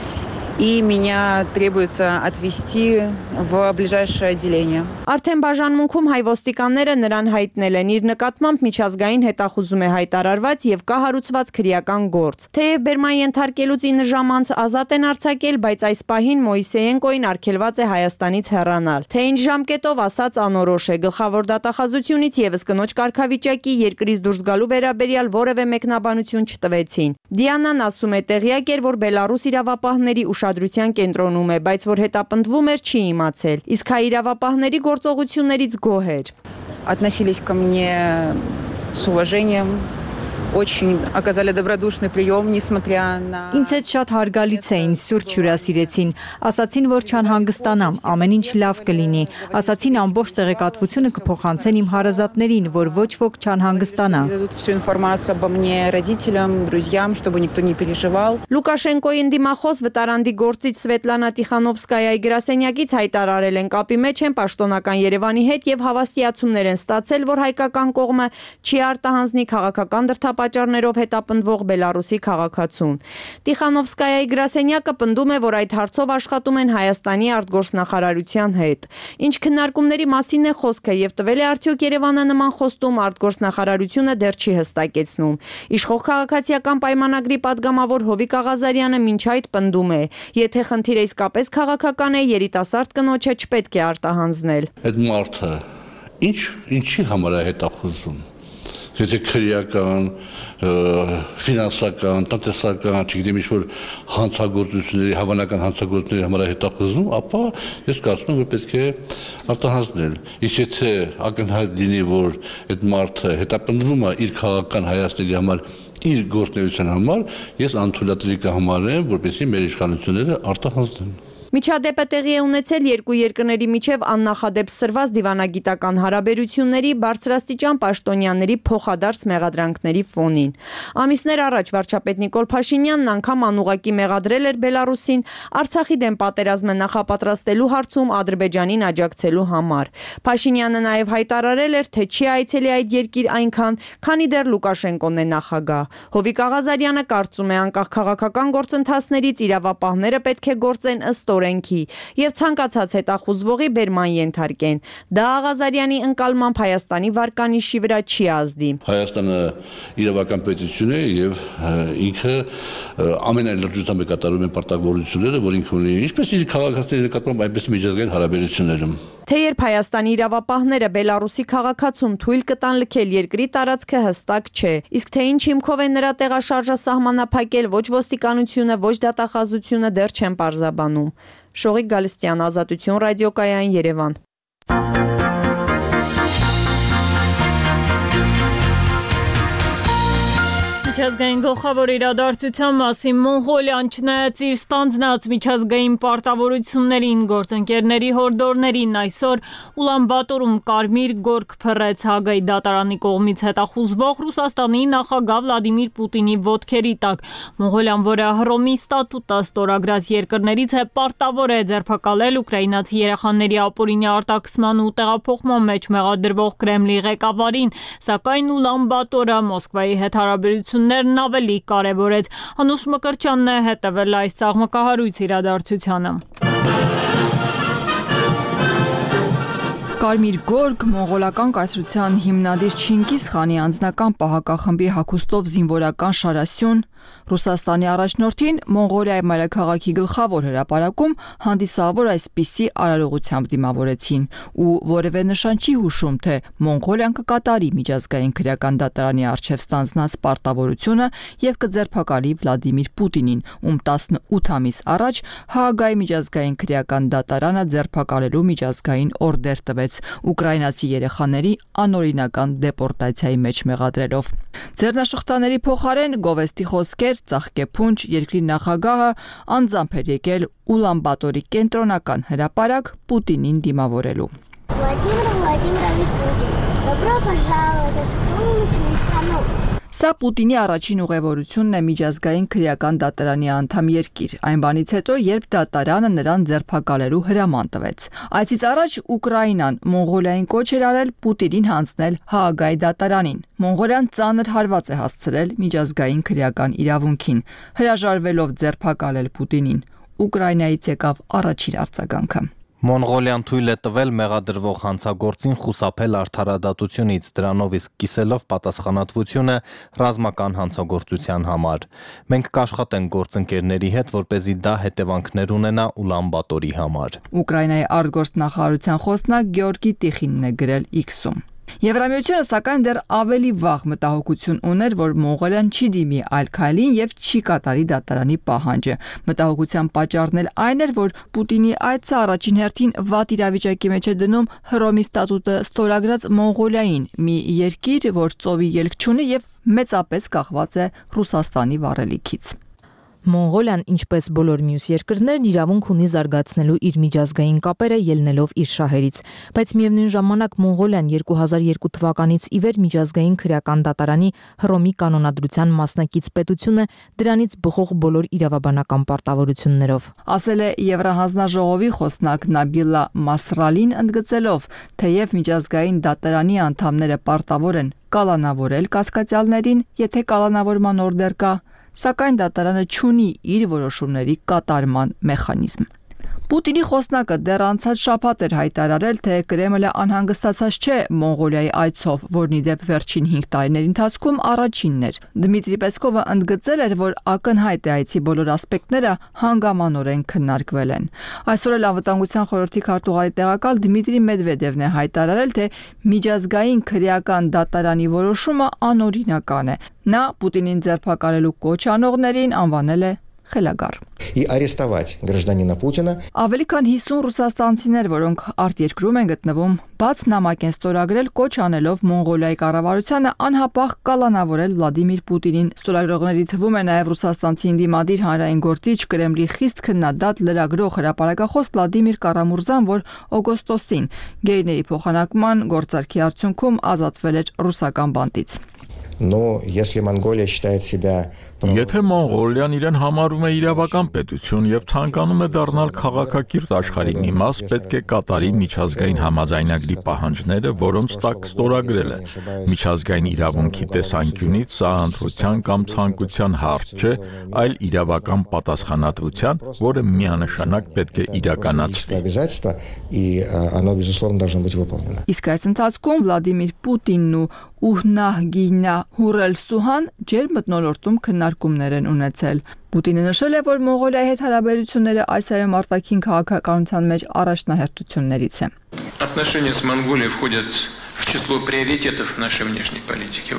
И меня требуется отвезти в ближайшее отделение. Արդեն բաժանմունքում հայ ոստիկանները նրան հայտնել են, իր նկատմամբ միջազգային հետախուզում է հայտարարված եւ կա հարուցված քրեական գործ։ Թեև բերման ենթարկելուց 9 ժամ անց ազատ են արձակել, բայց այս պահին Մոյսեենկոին արգելված է Հայաստանից հեռանալ։ Թե ինչ ժամկետով ասած անորոշ է, գլխավոր դատախազությունից եւս կնոջ կարգավիճակի երկրից դուրս գալու վերաբերյալ որևէ մեկնաբանություն չտվեցին։ Դիանան ասում է, տեղյակ էր, որ Բելարուս իրավապահների ուշադրության կենտրոնում է, բայց որ հետապնդվում էր չի իմացել։ Իսկ հայ իրավապահների գործողություններից գոհ էր։ Относились ко мне с уважением, очень оказали добродушный прием, несмотря на... Ինձ հետ շատ հարգալից էին, սուրճ հյուրասիրեցին, ասացին, որ չանհանգստանամ, ամեն ինչ լավ կլինի, ասացին ամբողջ տեղեկատվությունը կփոխանցեն իմ հարազատներին, որ ոչ ոք չանհանգստանա։ Дадут всю информацию обо мне родителям, друзьям, чтобы никто не переживал. Լուկաշենկոյի ընդդիմախոս վտարանդի գործիչ Սվետլանա Տիխանովսկայայի գրասենյակից հայտարարել են կապի մեջ են պաշտոնական Երևանի հետ եւ հավաստիացումներ են ստացել, որ հայկական կողմը չի արտահանձնի քաղաքական դրդապատճառներով հետապնդվող Բելարուսի քաղաքացուն։ Տիխանովսկայայի գրասենյակը պնդում է, որ այդ հարցով աշխատում են Հայաստանի արտգործնախարարության հետ։ Ինչ քննարկումների մասին է խոսքը եւ տվել է արդյոք Երևանը նման խոստում արտգործնախարարությունը դեռ չի հստակեցնում։ Իշխող քաղաքացիական պայմանագրի падգամավոր Հովիկ Աղազարյանը մինչ այդ պնդում է, եթե խնդիրը իսկապես քաղաքական է, երիտասարդ կնոջը չպետք է արտահանձնել։ Այդ մարդը ինչի համար է հետախուզվում։ Եթե քրեական, ֆինանսական, տնտեսական, չգիտեմ ինչ-որ հանցագործությունների, հավանական հանցագործությունների համար է հետախուզվում, ապա ես կարծում եմ, որ պետք է արտահանձնել։ Իսկ եթե ակնհայտ լինի, որ այդ մարդը հետապնդվում է իր քաղաքական հայացքների համար, իր գործունեության համար, ես անթույլատրելի կհամարեմ, որպեսզի մեր իշխանությունները արտահանձնեն։ Միջադեպը տեղի է ունեցել երկու երկրների միջև աննախադեպ սրված դիվանագիտական հարաբերությունների բարձրաստիճան պաշտոնյաների փոխադարձ մեղադրանքների ֆոնին։ Ամիսներ առաջ վարչապետ Նիկոլ Փաշինյանն անգամ անուղակի մեղադրել էր Բելարուսին Արցախի դեմ պատերազմը նախապատրաստելու հարցում Ադրբեջանին աջակցելու համար։ Փաշինյանը նաև հայտարարել էր, թե չի այցելի այդ երկիր այնքան, քանի դեռ Լուկաշենկոն է նախագահ։ Հովիկ Աղազարյանը կարծում է, անկախ քաղաքական գործընթացներից իրավապահները պետք է գործեն ըստ եւ ցանկացած հետախուզվողի բերման ենթարկեն։ Դա Աղազարյանի ընկալմամբ Հայաստանի վարկանիշի վրա չի ազդի։ Հայաստանը իրավական պետություն է եւ ինքը ամենայն լրջությամբ է կատարում են պարտավորությունները, որ ինքը ունի, ինչպես իր քաղաքացիների նկատմամբ, այնպես միջազգային հարաբերություններում։ Թեև Հայաստանի իրավապահները Բելարուսի քաղաքացուն թույլ կտան լքել երկրի տարածքը հստակ չէ, իսկ թե ինչ հիմքով է նրա տեղաշարժը սահմանափակել, ոչ ոստիկանությունը, ոչ դատախազությունը դեռ չեն պարզաբանում։ Շողիկ Գալստյան, Ազատություն ռադիոկայան, Երևան։ Միջազգային գլխավոր իրադարձության մասին Մոնղոլիան չնայած իր ստանձնած միջազգային պարտավորություններին, գործընկերների հորդորներին այսօր Ուլանբատորում կարմիր գորգ փռեց Հագայի դատարանի կողմից հետախուզվող Ռուսաստանի նախագահ Վլադիմիր Պուտինի ոտքերի տակ։ Մոնղոլիան, որը Հռոմի ստատուտը ստորագրած երկրներից է, պարտավոր է ձերբակալել ուկրաինացի երեխաների ապօրինի արտաքսման ու տեղափոխման մեջ մեղադրվող Կրեմլի ղեկավարին, սակայն Ուլանբատորը Մոսկվայի հետ հարաբերություններն ավելի կարևորեց։ Անուշ Մկրտչյանն է հետևել այս ծաղմկահարույց իրադարձությանը։ Կարմիր գորգ մոնղոլական կայսրության հիմնադիր Չինգիզ խանի անձնական պահակախմբի հագուստով զինվորական շարասյուն Ռուսաստանի առաջնորդին Մոնղոլիայի մայրաքաղաքի գլխավոր հրապարակում հանդիսավոր այսպիսի արարողությամբ դիմավորեցին ու որևէ նշան չի հուշում, թե Մոնղոլիան կկատարի միջազգային քրեական դատարանի առջև ստանձնած պարտավորությունը եւ կձերբակալի Վլադիմիր Պուտինին, ում 18 ամիս առաջ Հաագայի միջազգային քրեական դատարանը ձերբակալելու միջազգային օրդեր տվեց ուկրաինացի երեխաների անօրինական դեպորտացիայի մեջ մեղադրելով։ Ձեռնաշխտաների փոխարեն գովեստի խոսքեր, ծաղկեփունջ երկրի նախագահը անձամբ էր եկել Ուլանբատորի կենտրոնական հրապարակ Պուտինին դիմավորելու։ Սա Պուտինի առաջին ուղևորությունն է միջազգային քրեական դատարանի անդամ երկիր, այն բանից հետո, երբ դատարանը նրան ձերբակալելու հրաման տվեց։ Այցից առաջ Ուկրաինան Մոնղոլիային կոչ էր արել Պուտինին հանձնել Հաագայի դատարանին։ Մոնղոլիան ծանր հարված է հասցրել միջազգային քրեական իրավունքին, հրաժարվելով ձերբակալել Պուտինին։ Ուկրաինայից եկավ առաջին արձագանքը։ Մոնղոլիան թույլ է տվել մեղադրվող հանցագործին խուսափել արդարադատությունից, դրանով իսկ կիսելով պատասխանատվությունը ռազմական հանցագործության համար։ Մենք կաշխատենք գործընկերների հետ, որպեսզի դա հետևանքներ ունենա Ուլանբատորի համար։ Ուկրաինայի արտգործնախարարության խոսնակ Գեորգի Տիխինն է գրել X-ում։ Եվրամիությունը սակայն դեռ ավելի վաղ մտահոգություն ուներ, որ Մոնղոլիան չի դիմի այլ քայլին եւ չի կատարի դատարանի պահանջը։ Մտահոգության պատճառն էլ այն էր, որ Պուտինի այցը առաջին հերթին վատ իրավիճակի մեջ է դնում Հռոմի ստատուտը ստորագրած Մոնղոլիային, մի երկիր, որ ծովի ելք չունի եւ մեծապես կախված է Ռուսաստանի վառելիքից։ Մոնղոլիան, ինչպես բոլոր մյուս երկրներն, իրավունք ունի զարգացնելու իր միջազգային կապերը ելնելով իր շահերից, բայց միևնույն ժամանակ Մոնղոլիան 2002 թվականից ի վեր միջազգային քրեական դատարանի Հռոմի կանոնադրության մասնակից պետություն է, դրանից բխող բոլոր իրավաբանական պարտավորություններով։ Ասել է Եվրահանձնաժողովի խոսնակ Նաբիլա Մասրալին, ընդգծելով, թեև միջազգային դատարանի անդամները պարտավոր են կալանավորել կասկածյալներին, եթե կալանավորման օրդեր կա, սակայն դատարանը չունի իր որոշումների կատարման մեխանիզմ։ Պուտինի խոսնակը դեռ անցած շաբաթ էր հայտարարել, թե Կրեմլը անհանգստացած չէ Մոնղոլիայի այցով, որն ի դեպ վերջին 5 տարիների ընթացքում առաջինն էր։ Դմիտրի Պեսկովը ընդգծել էր, որ ակնհայտ է այցի բոլոր ասպեկտները հանգամանորեն քննարկվել են։ Այսօր էլ Անվտանգության խորհրդի քարտուղարի տեղակալ Դմիտրի Մեդվեդևն է հայտարարել, թե միջազգային քրեական դատարանի որոշումը անօրինական է։ Նա Պուտինին ձերբակալելու կոչ անողներին անվանել է խելագար։ И арестовать гражданина Путина. Ավելի քան 50 ռուսաստանցիներ, որոնք արտերկրում են գտնվում, բաց նամակ են ստորագրել կոչ անելով Մոնղոլիայի կառավարությանը անհապաղ կալանավորել Վլադիմիր Պուտինին։ Ստորագրողների թվում է նաև ռուսաստանցի ընդդիմադիր հանրային գործիչ Կրեմլի խիստ քննադատ լրագրող հրապարակախոս Վլադիմիր Կարամուրզան, որ օգոստոսին գերիների փոխանակման գործարքի արդյունքում ազատվել էր ռուսական բանտից։ Но если Монголия считает себя Եթե Մոնղոլիան իրեն համարում է իրավական պետություն եւ ցանկանում է դառնալ քաղաքակիրթ աշխարհի մի մաս, պետք է կատարի միջազգային համաձայնագրի պահանջները, որոնց տակ ստորագրել է։ Միջազգային իրավունքի տեսանկյունից սա ընտրության կամ ցանկության հարց չէ, այլ իրավական պատասխանատվության, որը միանշանակ պետք է իրականացվի։ Իսկ այս ընթացքում Վլադիմիր Պուտինն ու Ուհնահգինա Հուրելսուհան ջերմ մթնոլորտում քննարկումներ են ունեցել։ Պուտինը նշել է, որ Մոնղոլիայի հետ հարաբերությունները այսայում արտաքին քաղաքականության մեջ առաջնահերթություններից է։ Отношения с Монголией входят в число приоритетов нашей внешней политики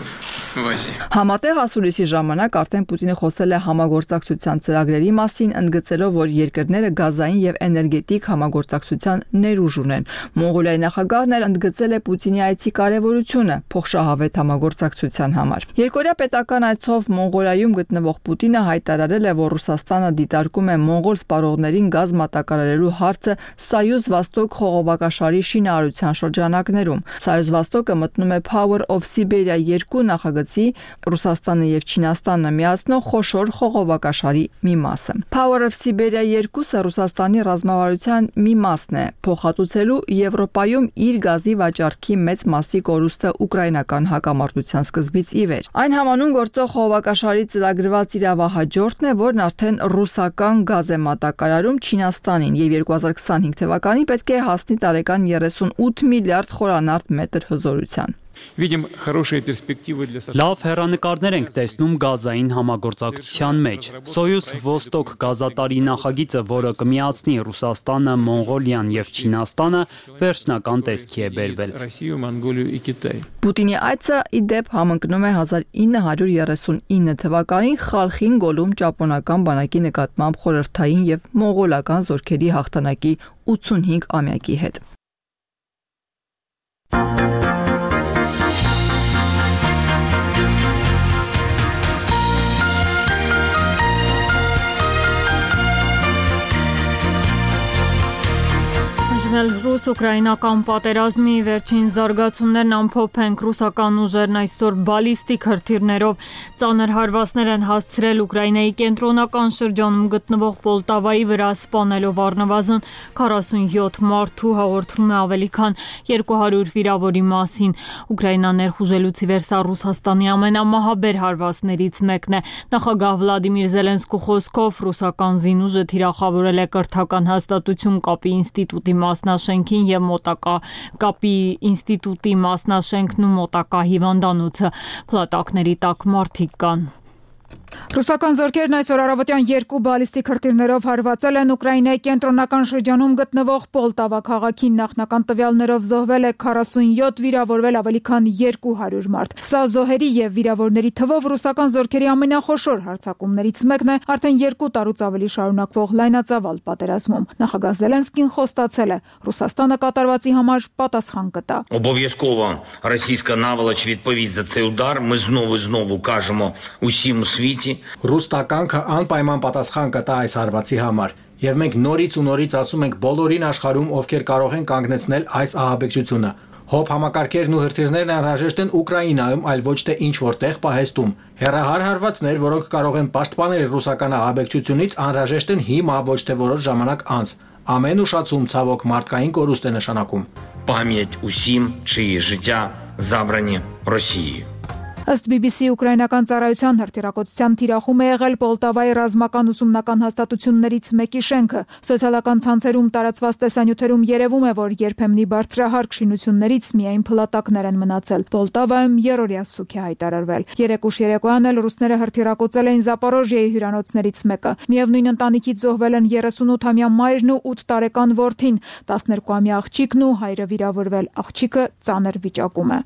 в Азии. Համատեղ ասուլիսի ժամանակ արդեն Պուտինը խոսել է համագործակցության ծրագրերի մասին, ընդգծելով, որ երկրները գազային եւ էներգետիկ համագործակցության ներուժ ունեն։ Մոնղոլիայի նախագահն էլ ընդգծել է Պուտինի այցի կարևորությունը փոխշահավետ համագործակցության համար։ Երկօրյա պետական այցով Մոնղոլիայում գտնվող Պուտինը հայտարարել է, որ Ռուսաստանը դիտարկում է մոնղոլ սպառողներին գազ մատակարարելու հարցը Սայուզ Վաստոկ խողովակաշարի շինարարության շրջանակներում։ Սայուզ Վաստոկը մտնում է Power of Siberia 2 նախագծի Ռուսաստանը եւ Չինաստանը միացնող խոշոր խողովակաշարի մի մասը։ Power of Siberia 2-ը Ռուսաստանի ռազմավարության մի մասն է, փոխհատուցելու Եվրոպայում իր գազի վաճառքի մեծ մասի կորուստը ուկրաինական հակամարտության սկզբից ի վեր։ Այն համանուն գործող խողովակաշարի ծրագրված իրավահաջորդն է, որն արդեն ռուսական գազ է մատակարարում Չինաստանին եւ 2025 թվականին պետք է հասնի տարեկան 38 միլիարդ խորանարդ մետր հզորության։ Լավ հեռանկարներ ենք տեսնում գազային համագործակցության մեջ։ Սոյուզ Ոստոկ գազատարի նախագիծը, որը կմիացնի Ռուսաստանը, Մոնղոլիան եւ Չինաստանը, վերջնական տեսքի է բերվել։ Պուտինի այցը ի դեպ համընկնում է 1939 թվականին Խալխին գոլում ճապոնական բանակի նկատմամբ խորհրդային եւ մոնղոլական զորքերի հաղթանակի 85-ամյակի հետ։ Ռուս-ուկրաինական պատերազմի վերջին զարգացումներն ամփոփենք։ Ռուսական ուժերն այսօր բալիստիկ հրթիռներով ծանր հարվածներ են հասցրել Ուկրաինայի կենտրոնական շրջանում գտնվող Պոլտավայի վրա, սպանելով առնվազն 47 մարդու, հաղորդվում է ավելի քան 200 վիրավորի մասին։ Ուկրաինան ներխուժելուց ի վեր սա Ռուսաստանի ամենամահաբեր հարվածներից մեկն է։ Նախագահ Վլադիմիր Զելենսկու խոսքով ռուսական զինուժը թիրախավորել է կրթական հաստատություն կապի ինստիտուտի մասնաշենքին եւ մոտակա կապի ինստիտուտի մասնաշենքն ու մոտակա հիվանդանոցը։ Փլատակների տակ մարդիկ կան։ Ռուսական զորքերն այսօր առավոտյան 2 բալիստիկ հրթիռներով հարվածել են Ուկրաինայի կենտրոնական շրջանում գտնվող Պոլտավա քաղաքին։ Նախնական տվյալներով զոհվել է 47, վիրավորվել ավելի քան 200 մարդ։ Սա զոհերի եւ վիրավորների թվով ռուսական զորքերի ամենախոշոր հարձակումներից մեկն է արդեն 2 տարուց ավելի շարունակվող լայնածավալ պատերազմում։ Նախագահ Զելենսկին խոստացել է Ռուսաստանը կատարվածի համար պատասխան կտա։ Обов'язково російська наволоч відповість за цей удар. Ми знову кажемо усім у світі. Ռուս տականքը անպայման պատասխան կտա այս հարվածի համար, եւ մենք նորից ու նորից ասում ենք բոլորին աշխարհում, ովքեր կարող են կանգնեցնել այս ահաբեկչությունը։ Հոբ համակարգերն ու հրթիռներն անհրաժեշտ են Ուկրաինայում, այլ ոչ թե ինչ որտեղ պահեստում։ Հեռահար հարվածներ, որոնք կարող են պաշտպանել ռուսական ահաբեկչությունից, անհրաժեշտ են հիմա, ոչ թե որոշ ժամանակ անց։ Ամեն ուշացում ցավոք մարդկային կորուստ է նշանակում։ Пам'ять усім, чиї життя забрані Росією. Ըստ BBC ուկրաինական ծառայության հրթիռակոծության թիրախում է եղել Պոլտավայի ռազմական ուսումնական հաստատություններից մեկի շենքը։ Սոցիալական ցանցերում տարածված տեսանյութերում երևում է, որ երբեմնի բարձրահարկ շինություններից միայն փլատակներ են մնացել։ Պոլտավայում երրորդյա սուք է հայտարարվել։ Երեկուշ երեկոյան էլ ռուսները հրթիռակոծել էին Զապորոժիայի հյուրանոցներից մեկը։ Միևնույն ընտանիքից զոհվել են 38-ամյա մայրն ու 8 տարեկան որդին, 12-ամյա աղջիկն ու հայրը վիրավորվել։ Աղջիկը ծանր վիճակում է։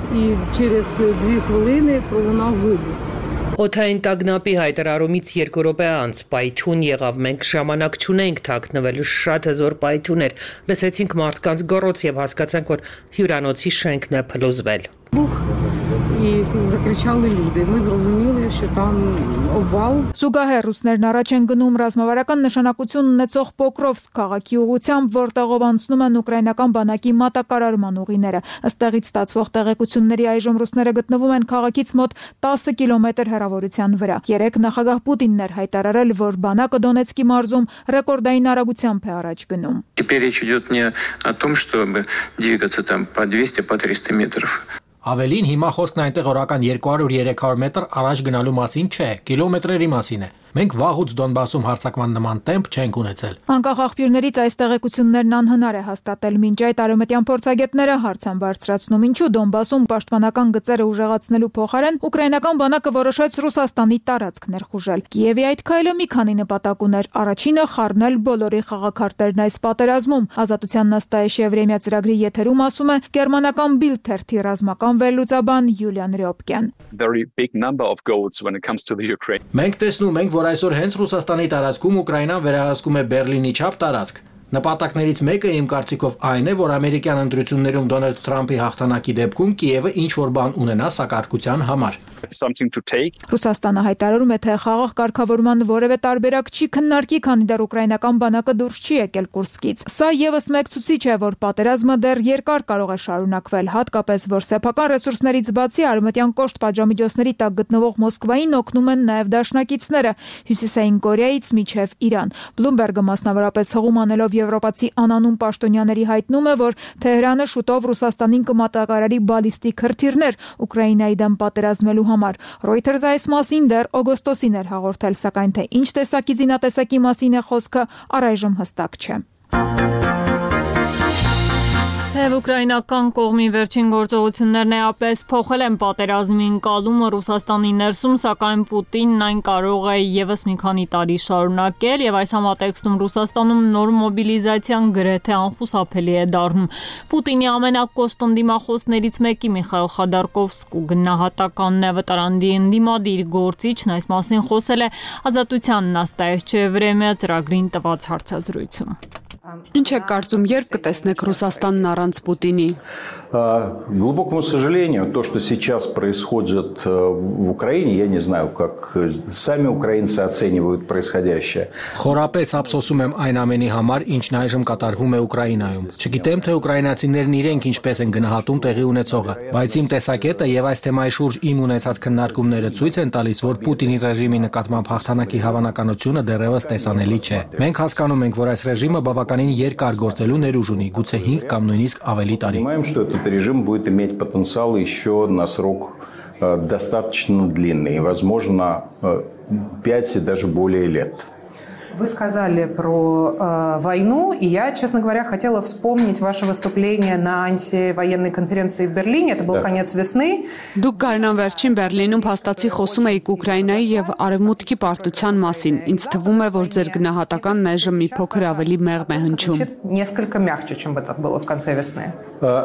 І через 2 хвилини пролунав вибух. Օդային տագնապի հայտարարումից 2 րոպե անց պայթյուն եղավ, մենք ժամանակ չունենք թաքնվելու, շատ հզոր պայթյուն էր, լսեցինք մարդկանց գոռոց եւ հասկացանք, որ հյուրանոցի շենքն է փլուզվել։ І закричали люди. Ми зрозуміли, що там обвал. Զուգահեռ ռուսներն առաջ են գնում ռազմավարական նշանակություն ունեցող Պոկրովսկ քաղաքի ուղղությամբ, որտեղով անցնում են ուկրաինական բանակի մատակարարման ուղիները։ Ըստեղից ստացվող տեղեկությունների այժմ ռուսները գտնվում են քաղաքից мոտ 10 կիլոմետր հեռավորության վրա։ Երեկ նախագահ Պուտինն էր հայտարարել, որ բանակը Դոնեցկի մարզում ռեկորդային արագությամբ է առաջ գնում։ Теперь речь идет не о том, чтобы двигаться там по 200, по 300 метров. Ավելին հիմա խոսքն այնտեղ օրական 200-300 մետր առաջ գնալու մասին չէ, կիլոմետրերի մասին է։ Մենք վաղուց Դոնբասում հարձակման նման տեմպ չենք ունեցել։ Անկախ աղբյուրներից այս տեղեկություններն անհնար է հաստատել, մինչ այդ արևմտյան փորձագետները հարց են բարձրացնում, ինչու Դոնբասում պաշտպանական գծերը ուժեղացնելու փոխարեն ուկրաինական բանակը որոշեց Ռուսաստանի տարածք ներխուժել։ Կիևի այդ քայլը մի քանի նպատակ ուներ։ Առաջինը խառնել բոլորի խաղաքարտերն այս պատերազմում։ Ազատության նաստայեշ Եվրեմիա ծրագրի եթերում ասում է գերմանական Bild թերթի ռազմական վերլուծաբան Յուլիան Ռյոպկեն։ Մենք տեսնում ենք, որ այսօր հենց Ռուսաստանի տարածքում Ուկրաինան վերահսկում է Բերլինի չափ տարածք։ Նպատակներից մեկը իմ կարծիքով այն է, որ ամերիկյան ընտրություններում Դոնալդ Թրամփի հաղթանակի դեպքում Կիևը ինչ-որ բան ունենա սակարկության համար։ Ռուսաստանը հայտարարում է, թե խաղաղ կարգավորման որևէ տարբերակ չի քննարկի, քանի դեռ ուկրաինական բանակը դուրս չի եկել Կուրսկից։ Սա եւս մեկ ցուցիչ է, որ պատերազմը դեռ երկար կարող է շարունակվել, հատկապես որ սեփական ռեսուրսներից բացի արևմտյան կոշտ պատժամիջոցների տակ գտնվող Մոսկվային օգնում են նաեւ դաշնակիցները Հյուսիսային Կորեայից մինչև Իրան։ Բլումբերգը մասնավորապես հղում անելով եվրոպացի անանուն պաշտոնյաների հայտնում է, որ Թեհրանը շուտով Ռուսաստանին կմատակարարի բալիստիկ հրթիռներ Ուկրաինայի դեմ պատերազմելու համար։ Reuters այս մասին դեռ օգոստոսին էր հաղորդել, սակայն թե ինչ տեսակի զինատեսակի մասին է խոսքը, առայժմ հստակ չէ։ Թեև ուկրաինական կողմի վերջին գործողություններն էապես փոխել են պատերազմի ընկալումը Ռուսաստանի ներսում, սակայն Պուտինն այն կարող է եւս մի քանի տարի շարունակել եւ այս համատեքստում Ռուսաստանում նոր մոբիլիզացիան գրեթե անխուսափելի է դառնում։ Պուտինի ամենակոշտ ընդդիմախոսներից մեկի Միխայել Խադարկովսկու գնահատականն է վտարանդի ընդդիմադիր գործիչն այս մասին խոսել է Ազատության նաստայեշ Եվրեմիա ծրագրին տված հարցազրույցում։ Ինչ եք կարծում, երբ կտեսնեք Ռուսաստանն առանց Պուտինի։ Глубокому сожалению, то, что сейчас происходит в Украине, я не знаю, как сами украинцы оценивают происходящее. Խորապես ափսոսում եմ այն ամենի համար, ինչն այժմ կատարվում է Ուկրաինայում։ Չգիտեմ, թե ուկրաինացիներն իրենք ինչպես են գնահատում տեղի ունեցողը, բայց իմ տեսակետը եւ այս թեմայի շուրջ իմ ունեցած քննարկումները ցույց են տալիս, որ Պուտինի ռեժիմի նկատմամբ հաղթանակի հավանականությունը դեռևս տեսանելի չէ։ Մենք հասկանում ենք, որ այս ռեժիմը բավականին երկար գործելու ներուժ ունի, գուցե 5 կամ նույնիսկ ավելի տարի։ Этот режим будет иметь потенциал еще на срок достаточно длинный, возможно, 5 и даже более лет. Вы сказали про войну, и я, честно говоря, хотела вспомнить ваше выступление на антивоенной конференции в Берлине. Это был конец весны. Դուք գարնան վերջին Բերլինում փաստացի խոսում եք Ուկրաինայի եւ Արևմուտքի պարտության մասին։ Ինձ թվում է, որ ձեր գնահատականն այժմ մի փոքր ավելի մեղմ է հնչում։ Несколько мягче, чем это было в конце весны.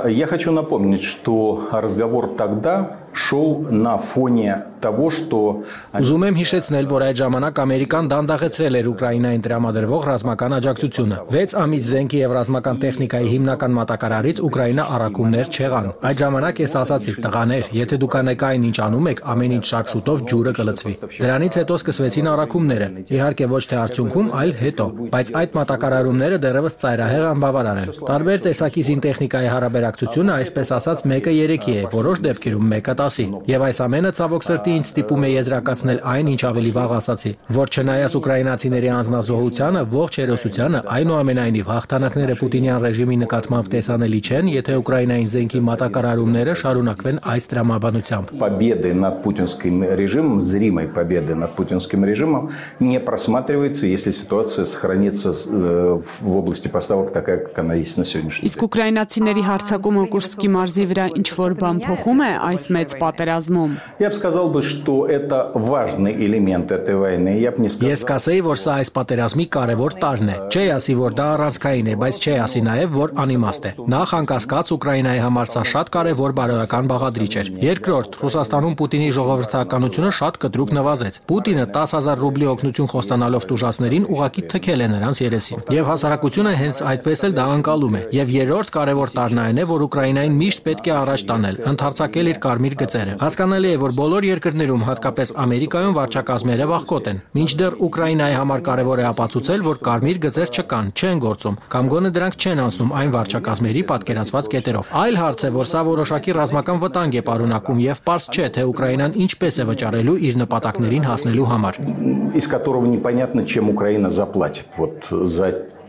Я хочу напомнить, что разговор тогда шел на фоне того, что... Ուզում եմ հիշեցնել, որ այդ ժամանակ Ամերիկան դանդաղեցրել էր Ուկրաինային տրամադրվող ռազմական աջակցությունը։ 6 ամիս զենքի եւ ռազմական տեխնիկայի հիմնական մատակարարից Ուկրաինա առաքումներ չեղան։ Այդ ժամանակ ես ասացի՝ տղաներ, եթե դուք անեկային ինչ անում եք, ամեն ինչ շատ շուտով ջուրը կլցվի։ Դրանից հետո սկսվեցին առաքումները։ Իհարկե ոչ թե արդյունքում, այլ հետո, բայց այդ մատակարարումները դեռևս ծայրահեղ անբավարար են։ Տարբեր տեսակի զինտեխնիկայի հարաբերակցությունը, այսպես ասած, 1-3-ի է, որոշ դեպքերում 1-10-ի։ Եվ այս ամենը ցավոք սրտի ինձ ստիպում է եզրակացնել այն, ինչ ավելի վաղ ասացի, որ չնայած ուկրաինացիների անձնազոհությանը, ողջ հերոսությանը, այնուամենայնիվ հաղթանակները Պուտինյան ռեժիմի նկատմամբ տեսանելի չեն, եթե Ուկրաինային զենքի մատակարարումները շարունակվեն այս տրամաբանությամբ։ Победы над путинским режимом, зримой победы над путинским режимом не просматривается, если ситуация сохранится в области поставок такая, как она есть на сегодняшний день. Իսկ ուկրաինացիների հարձակումը Կուրսկի մարզի վրա ինչ որ բան փոխում է այս մեծ պատերազմում։ Я бы сказал, что это важный элемент этой войны. Я бы не сказал. Ես կասեի, որ սա այս պատերազմի կարևոր տարրն է։ Չի ասի, որ դա առանցքային է, բայց չի ասի նաև, որ անիմաստ է։ Նախ անկասկած Ուկրաինայի համար սա շատ կարևոր բարոյական բաղադրիչ էր։ Երկրորդ, Ռուսաստանում Պուտինի ժողովրդականությունը շատ կտրուկ նվազեց։ Պուտինը 10,000 ռուբլի օգնություն խոստանալով տուժածներին ուղակի թքել է նրանց երեսին։ Եվ հասարակությունը հենց այդպես էլ դա անցալում է։ Եվ երրորդ կարևոր տարրն այն է, որ Ուկրաինային միշտ պետք է առաջ տանել, ընդարձակել իր կարմիր գծերը։ Հասկանալի է, որ բոլոր երկրներում, հատկապես Ամերիկայում վարչակազմերը վախկոտ են։ Մինչդեռ Ուկրաինայի համար կարևոր է ապացուցել, որ կարմիր գծեր չկան, չեն գործում, կամ գոնե դրանք չեն անցնում այն վարչակազմերի պատկերացված կետերով։ Այլ հարց է, որ սա որոշակի ռազմական վտանգ է պարունակում եւ պարզ չէ, թե Ուկրաինան ինչպես է վճարելու իր նպատակներին հասնելու համար։ Из которого непонятно, чем Украина заплатит вот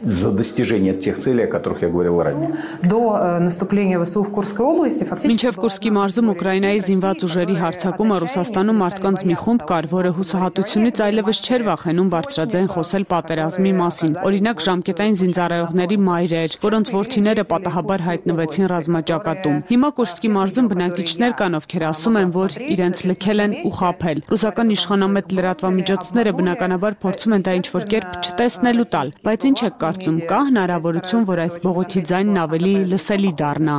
за достижение тех целей, о которых я говорил ранее. До наступления ВСУ в Курской области фактически Մինչև Կուրսկի մարզում Ուկրաինայի զինված ուժերի հարձակումը Ռուսաստանում մարդկանց մի խումբ կար, որը հուսահատությունից այլևս չէր վախենում բարձրաձայն խոսել պատերազմի մասին։ Օրինակ ժամկետային զինծառայողների մայրեր, որոնց որդիները պատահաբար հայտնվեցին ռազմաճակատում։ Հիմա Կուրսկի մարզում բնակիչներ կան, ովքեր ասում են, որ իրենց լքել են ու խաբել։ Ռուսական իշխանամետ լրատվամիջոցները բնականաբար փորձում են դա ինչ-որ կերպ չտեսնելու տալ, բայց ինչ է կարծում, կա հնարավորություն, որ այս բողոքի ձայնն ավելի լսելի դառնա։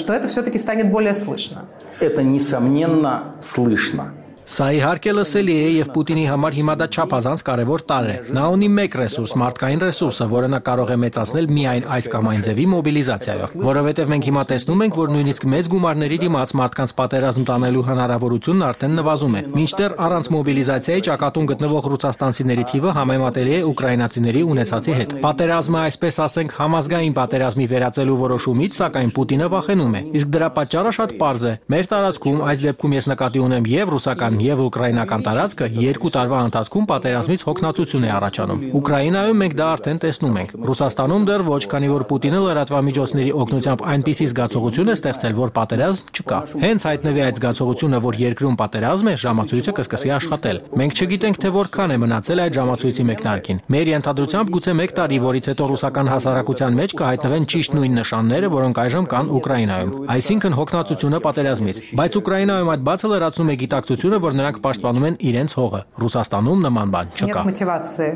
Что это все-таки станет более слышно. Это несомненно слышно. Սա իհարկե լսելի է եւ Պուտինի համար հիմա դա չափազանց կարևոր տարր է։ Նա ունի մեկ ռեսուրս, մարդկային ռեսուրսը, որը նա կարող է մեծացնել միայն այս կամ այն ձևի մոբիլիզացիայով, որովհետեւ մենք հիմա տեսնում ենք, որ նույնիսկ մեծ գումարների դիմաց մարդկանց պատերազմ տանելու հնարավորությունն արդեն նվազում է։ Մինչդեռ առանց մոբիլիզացիայի ճակատում գտնվող ռուսաստանցիների թիվը համեմատելի է ուկրաինացիների ունեցածի հետ։ Պատերազմը, այսպես ասենք, համազգային պատերազմի վերածելու որոշումից, սակայն Պուտինը վախենում է։ Իսկ դրա պատճառը շատ պարզ է։ Մեր տարածքում, այս դեպքում ես նկատի ունեմ եւ ռուսական եւ ուկրաինական տարածքը 2 տարվա ընթացքում պատերազմից հոգնածություն է առաջանում։ Ուկրաինայում մենք դա արդեն տեսնում ենք։ Ռուսաստանում դեռ ոչ, քանի որ Պուտինը լրատվամիջոցների օգնությամբ այնպիսի զգացողություն է ստեղծել, որ պատերազմ չկա։ Հենց հայտնվի այդ զգացողությունը, որ երկրում պատերազմ է, ժամացույցը կսկսի աշխատել։ Մենք չգիտենք, թե որքան է մնացել այդ ժամացույցի մեկնարկին։ Մեր ենթադրությամբ գուցե 1 տարի, որից հետո ռուսական հասարակության մեջ կհայտնվեն ճիշտ նույն նշանները, որոնք այժմ կան Ուկրաինայում։ Այսինքն հոգնածությունը պատերազմից։ Բայց Ուկրաինայում այդ բացը լրացնում է գիտակցությունը, որ նրանք պաշտպանում են իրենց հողը։ Ռուսաստանում նման բան չկա։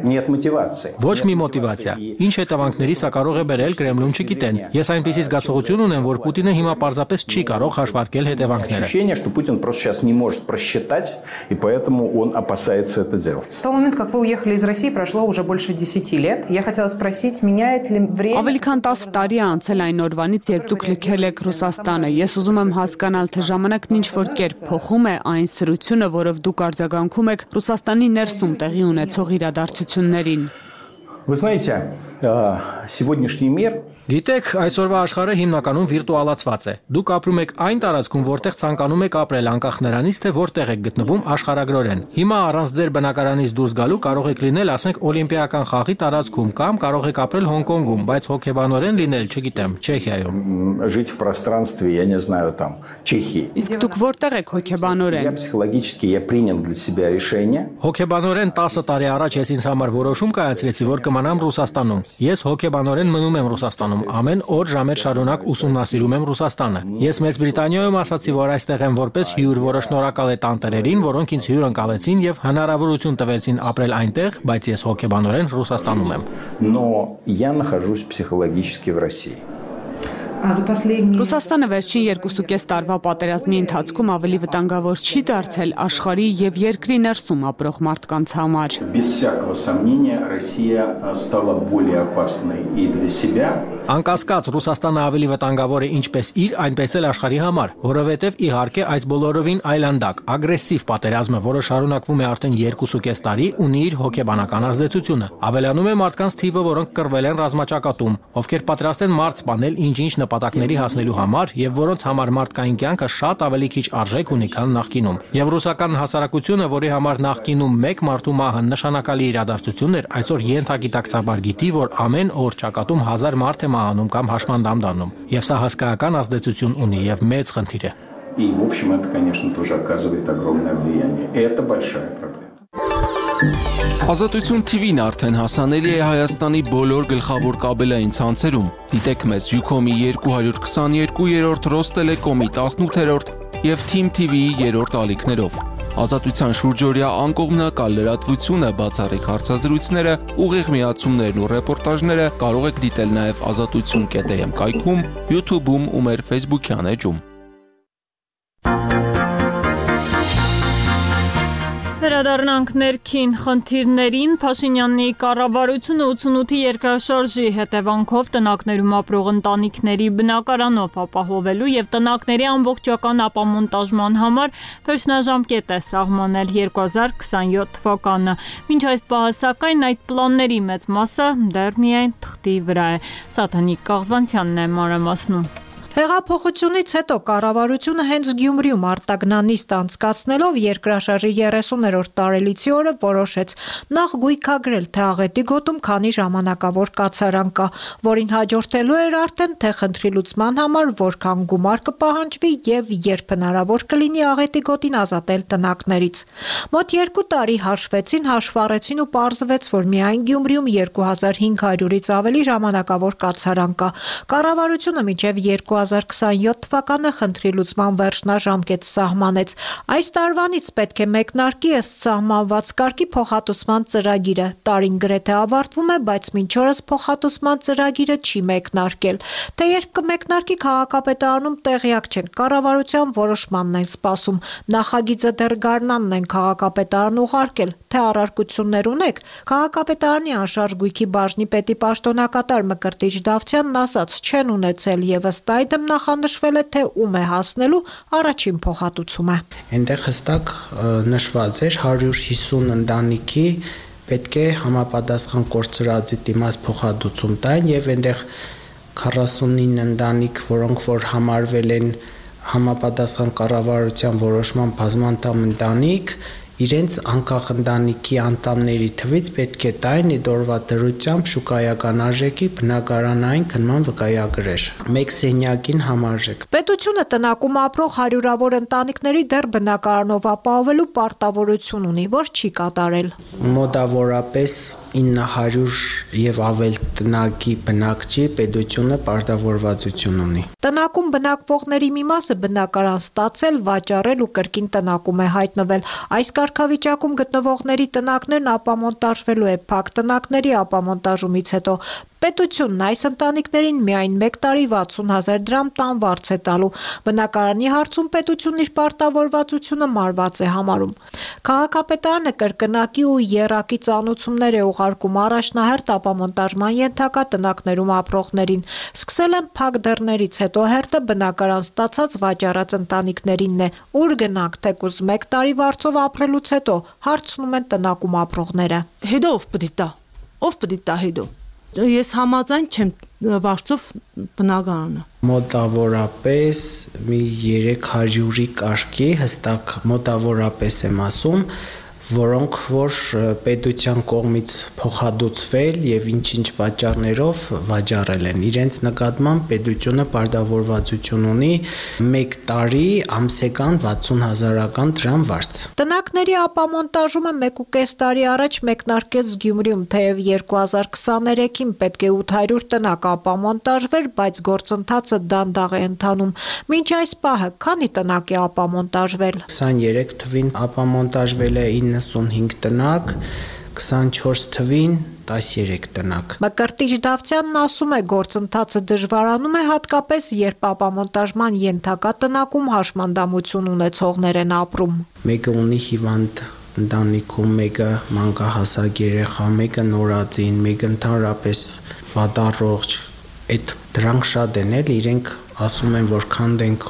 Нет мотивации. Ոչ մի մոտիվացիա։ Ինչ հետևանքների սա կարող է բերել Կրեմլում չգիտեն։ Ես այնպիսի զգացողություն ունեմ, որ Պուտինը հիմա պարզապես չի կարող հաշվարկել հետևանքները։ Ощущение, что Путин просто сейчас не может просчитать, и поэтому он опасается это делать. С того момента, как вы уехали из России, прошло уже больше 10 лет. Я хотела спросить, меняет ли время... Ավելի քան 10 տարի է անցել այն օրվանից, երբ դուք լքել եք Ռուսաստանը։ Ես ուզում եմ հասկանալ, թե ժամանակն ինչ որ կերպ փոխում է այն սրությունը, որով դուք արձագանքում եք Ռուսաստանի ներսում տեղի ունեցող իրադարձություններին։ Вы знаете, сегодняшний мир Գիտեք, այսօրվա աշխարհը հիմնականում վիրտուալացված է։ Դուք ապրում եք այն տարածքում, որտեղ ցանկանում եք ապրել, անկախ նրանից, թե որտեղ եք գտնվում աշխարհագրորեն։ Հիմա առանց ձեր բնակարանից դուրս գալու կարող եք լինել, ասենք, օլիմպիական խաղի տարածքում կամ կարող եք ապրել Հոնկոնգում, բայց հոգեբանորեն լինել, չգիտեմ, Չեխիայում։ Жить в пространстве, я не знаю, там, Чехии. Իսկ դուք որտեղ եք հոգեբանորեն։ Я психологически я принял для себя решение. Հոգեբանորեն 10 տարի առաջ ես ինձ համար որոշում կայացրեցի, որ կմնամ Ռուսաստանում։ Ես հոգեբանորեն մնում եմ Ռուսաստանում, ամեն օր ժամեր շարունակ ուսումնասիրում եմ Ռուսաստանը։ Ես Մեծ Բրիտանիայում ասացի, որ այստեղ եմ որպես հյուր, որը շնորհակալ է տանտերերին, որոնք ինձ հյուր ընկալեցին եւ հնարավորություն տվեցին ապրել այնտեղ, բայց ես հոգեբանորեն Ռուսաստանում եմ։ Но я нахожусь психологически в России. Ռուսաստանը վերջին 2.5 տարվա պատերազմի ընթացքում ավելի վտանգավոր չի դարձել աշխարհի եւ երկրի ներսում ապրող մարդկանց համար։ Без всякого сомнения, Россия стала более опасной и для себя. Անկասկած Ռուսաստանը ավելի վտանգավոր է ինչպես իր, այնպես էլ աշխարհի համար, որովհետև իհարկե այս բոլորովին այլանդակ, ագրեսիվ պատերազմը, որը շարունակվում է արդեն 2.5 տարի, ունի իր հոգեբանական ազդեցությունը։ Ավելանում է մարդկանց թիվը, որոնք կռվել են ռազմաճակատում, ովքեր պատրաստ են մարդ սպանել ինչ-ինչ նպատակների հասնելու համար եւ որոնց համար մարդկային կյանքը շատ ավելի քիչ արժեք ունի, քան նախկինում։ Եվ ռուսական հասարակությունը, որի համար նախկինում մեկ մարդու մահը նշանակալի իրադարձություն էր, այսօր ենթագիտակցաբար գիտի, որ ամեն օր ճակատում 1000 մարդ է մահանում կամ հաշմանդամ դառնում։ Եվ սա հսկայական ազդեցություն ունի եւ մեծ խնդիր է։ И, в общем, это, конечно, тоже оказывает огромное влияние. И это большая проблема. Ազատություն TV-ն արդեն հասանելի է Հայաստանի բոլոր գլխավոր կաբելային ցանցերում։ Դիտեք մեզ Ucom-ի 222-րդ, Ռոստելեկոմի 18-րդ եւ Team TV-ի 3-րդ ալիքներով։ Ազատության շուրջօրյա անկողմնակալ լրատվությունը, բացառիկ հարցազրույցները, ուղիղ միացումներն ու ռեպորտաժները կարող եք դիտել նաեւ azatutsun.am կայքում, YouTube-ում ու մեր Facebook-յան էջում։ Վերադառնանք ներքին խնդիրներին, Փաշինյանի կառավարությունը 88-ի երկրաշարժի հետևանքով տնակներում ապրող ընտանիքների բնակարանով ապահովելու եւ տնակների ամբողջական ապամոնտաժման համար վերջնաժամկետ է սահմանել 2027 թվականը։ Մինչ այս պահը սակայն այդ պլանների մեծ մասը դեռ միայն թղթի վրա է։ Սաթանիկ Կաղզվանցյանն է մանրամասնում։ Հեղափոխությունից հետո կառավարությունը հենց Գյումրիում արտագնանիստ անցկացնելով երկրաշարժի 30-րդ տարելիցի օրը որոշեց նախ գույքագրել, թե աղետի գոտում քանի ժամանակավոր կացարան կա, որին հաջորդելու էր արդեն թե խնդրի լուծման համար որքան գումար կպահանջվի եւ երբ հնարավոր կլինի աղետի գոտին ազատել տնակներից։ Մոտ 2 տարի հաշվեցին, հաշվառեցին ու պարզվեց, որ միայն Գյումրիում 2500-ից ավելի ժամանակավոր կացարան կա։ Կառավարությունը մինչեւ 2027 թվականը խնդրի լուծման վերջնաժամկետ սահմանեց։ Այս տարվանից պետք է մեկնարկի ըստ սահմանված կարգի փոխհատուցման ծրագիրը։ Տարին գրեթե ավարտվում է, բայց մինչ օրս փոխհատուցման ծրագիրը չի մեկնարկել։ Թե երբ կմեկնարկի քաղաքապետարանում տեղյակ չեն, կառավարության որոշմանն են սպասում։ Նախագիծը դեռ գարնանն են քաղաքապետարան ուղարկել, թե առարկություններ ունեք։ Քաղաքապետարանի անշարժ գույքի բաժնի պետի պաշտոնակատար Մկրտիչ Դավթյանն ասաց, չեն ունեցել եւ ըստ այդմ նախանշվել է, թե ում է հասնելու առաջին փոխհատուցումը։ Այնտեղ հստակ նշված էր 150 ընտանիքի պետք է համապատասխան կորցրածի դիմաց փոխհատուցում տային եւ այնտեղ 49 ընտանիք, որոնք որ համարվել են համապատասխան կառավարության որոշման բազմանդամ ընտանիք, իրենց անկախ ընտանիքի անդամների թվից պետք է տային այդ օրվա դրությամբ շուկայական արժեքի բնակարանային քննման վկայագրեր։ Մեկ սենյակին համարժեք։ Պետությունը տնակում ապրող հարյուրավոր ընտանիքների դեռ բնակարանով ապահովելու պարտավորություն ունի, որ չի կատարել։ Մոտավորապես 900 եւ ավել տնակի բնակչի պետությունը պարտավորվածություն ունի։ Տնակում բնակվողների մի մասը բնակարան ստացել, վաճառել ու կրկին տնակում է հայտնվել։ Այս կարգավիճակում գտնվողների տնակներն ապամոնտաժվելու է փակ տնակների ապամոնտաժումից հետո։ Պետությունն այս ընտանիքներին միայն 1 տարի 60,000 դրամ տանվարձ է տալու։ Բնակարանի հարցում պետությունն իր պարտավորվածությունը մարված է համարում։ Քաղաքապետարանը կրկնակի ու եռակի ծանուցումներ է ուղարկում առաջնահերթ ապամոնտաժման ենթակա տնակներում ապրողներին։ Սկսել են փակ դռներից, հետո հերթը բնակարան ստացած վաճառած ընտանիքներինն է։ Ուր գնանք, թեկուզ 1 տարի վարձով ապրելուց հետո հարցնում են տնակում ապրողները։ Հետո ով պետք է տա։ Ով պետք է տա հետո։ Ես համաձայն չեմ վարձով բնակարանը։ Մոտավորապես մի 300-ի կարգի հստակ մոտավորապես եմ ասում, որոնք որ պետության կողմից փոխհատուցվել եւ ինչ-ինչ պատճառներով վաճառել են։ Իրենց նկատմամբ պետությունը պարտավորվածություն ունի 1 տարի ամսական 60,000 դրամ վարձ։ Տնակների ապամոնտաժումը 1.5 տարի առաջ մեկնարկեց Գյումրիում, թեև 2023-ին պետք է 800 տնակ ապամոնտաժվեր, բայց գործընթացը դանդաղ է ընթանում։ Մինչ այս պահը քանի տնակ է ապամոնտաժվել։ 23 թվին ապամոնտաժվել է 95 տնակ, 24 թվին 13 տնակ։ Մկրտիչ Դավթյանն ասում է, գործընթացը դժվարանում է հատկապես, երբ ապամոնտաժման ենթակա տնակում հաշմանդամություն ունեցողներ են ապրում։ Մեկը ունի հիվանդ ընտանիքում, մեկը մանկահասակ երեխա, մեկը նորածին, մեկը ընդհանրապես վատառողջ։ Այդ դրանք շատ են էլ, իրենք ասում են, որ քանդենք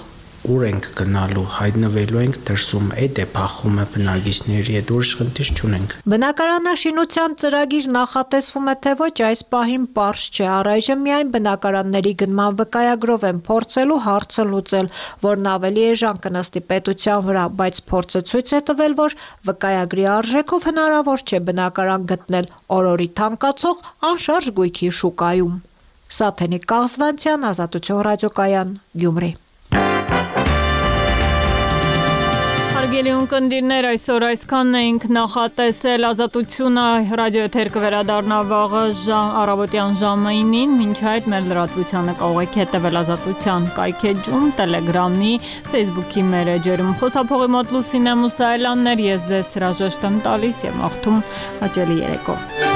ուր ենք գնալու, հայտնվելու ենք դրսում, այդ է փախումը բնակիչների հետ, ուրիշ խնդիր չունենք։ Բնակարանաշինության ծրագիր նախատեսվում է, թե ոչ, այս պահին պարզ չէ, առայժմ միայն բնակարանների գնման վկայագրով են փորձելու հարցը լուծել, որն ավելի էժան կնստի պետության վրա, բայց փորձը ցույց է տվել, որ վկայագրի արժեքով հնարավոր չէ բնակարան գտնել օրորի թանկացող անշարժ գույքի շուկայում։ Սաթենիկ Կաղզվանցյան, Ազատություն ռադիոկայան, Գյումրի։ Հարգելի ունկնդիրներ, այսօր այսքանն էինք նախատեսել, Ազատությունը ռադիոեթեր կվերադառնա վաղը առավոտյան ժամը 9-ին, մինչ այդ մեր լրատվությանը կարող եք հետևել Ազատության կայքեջում, Տելեգրամի, Facebook-ի մեր էջերում։ Խոսափողի մոտ Լուսինե Մուսայելյանն էր, ես ձեզ հրաժեշտ եմ տալիս եւ մաղթում հաճելի երեկո։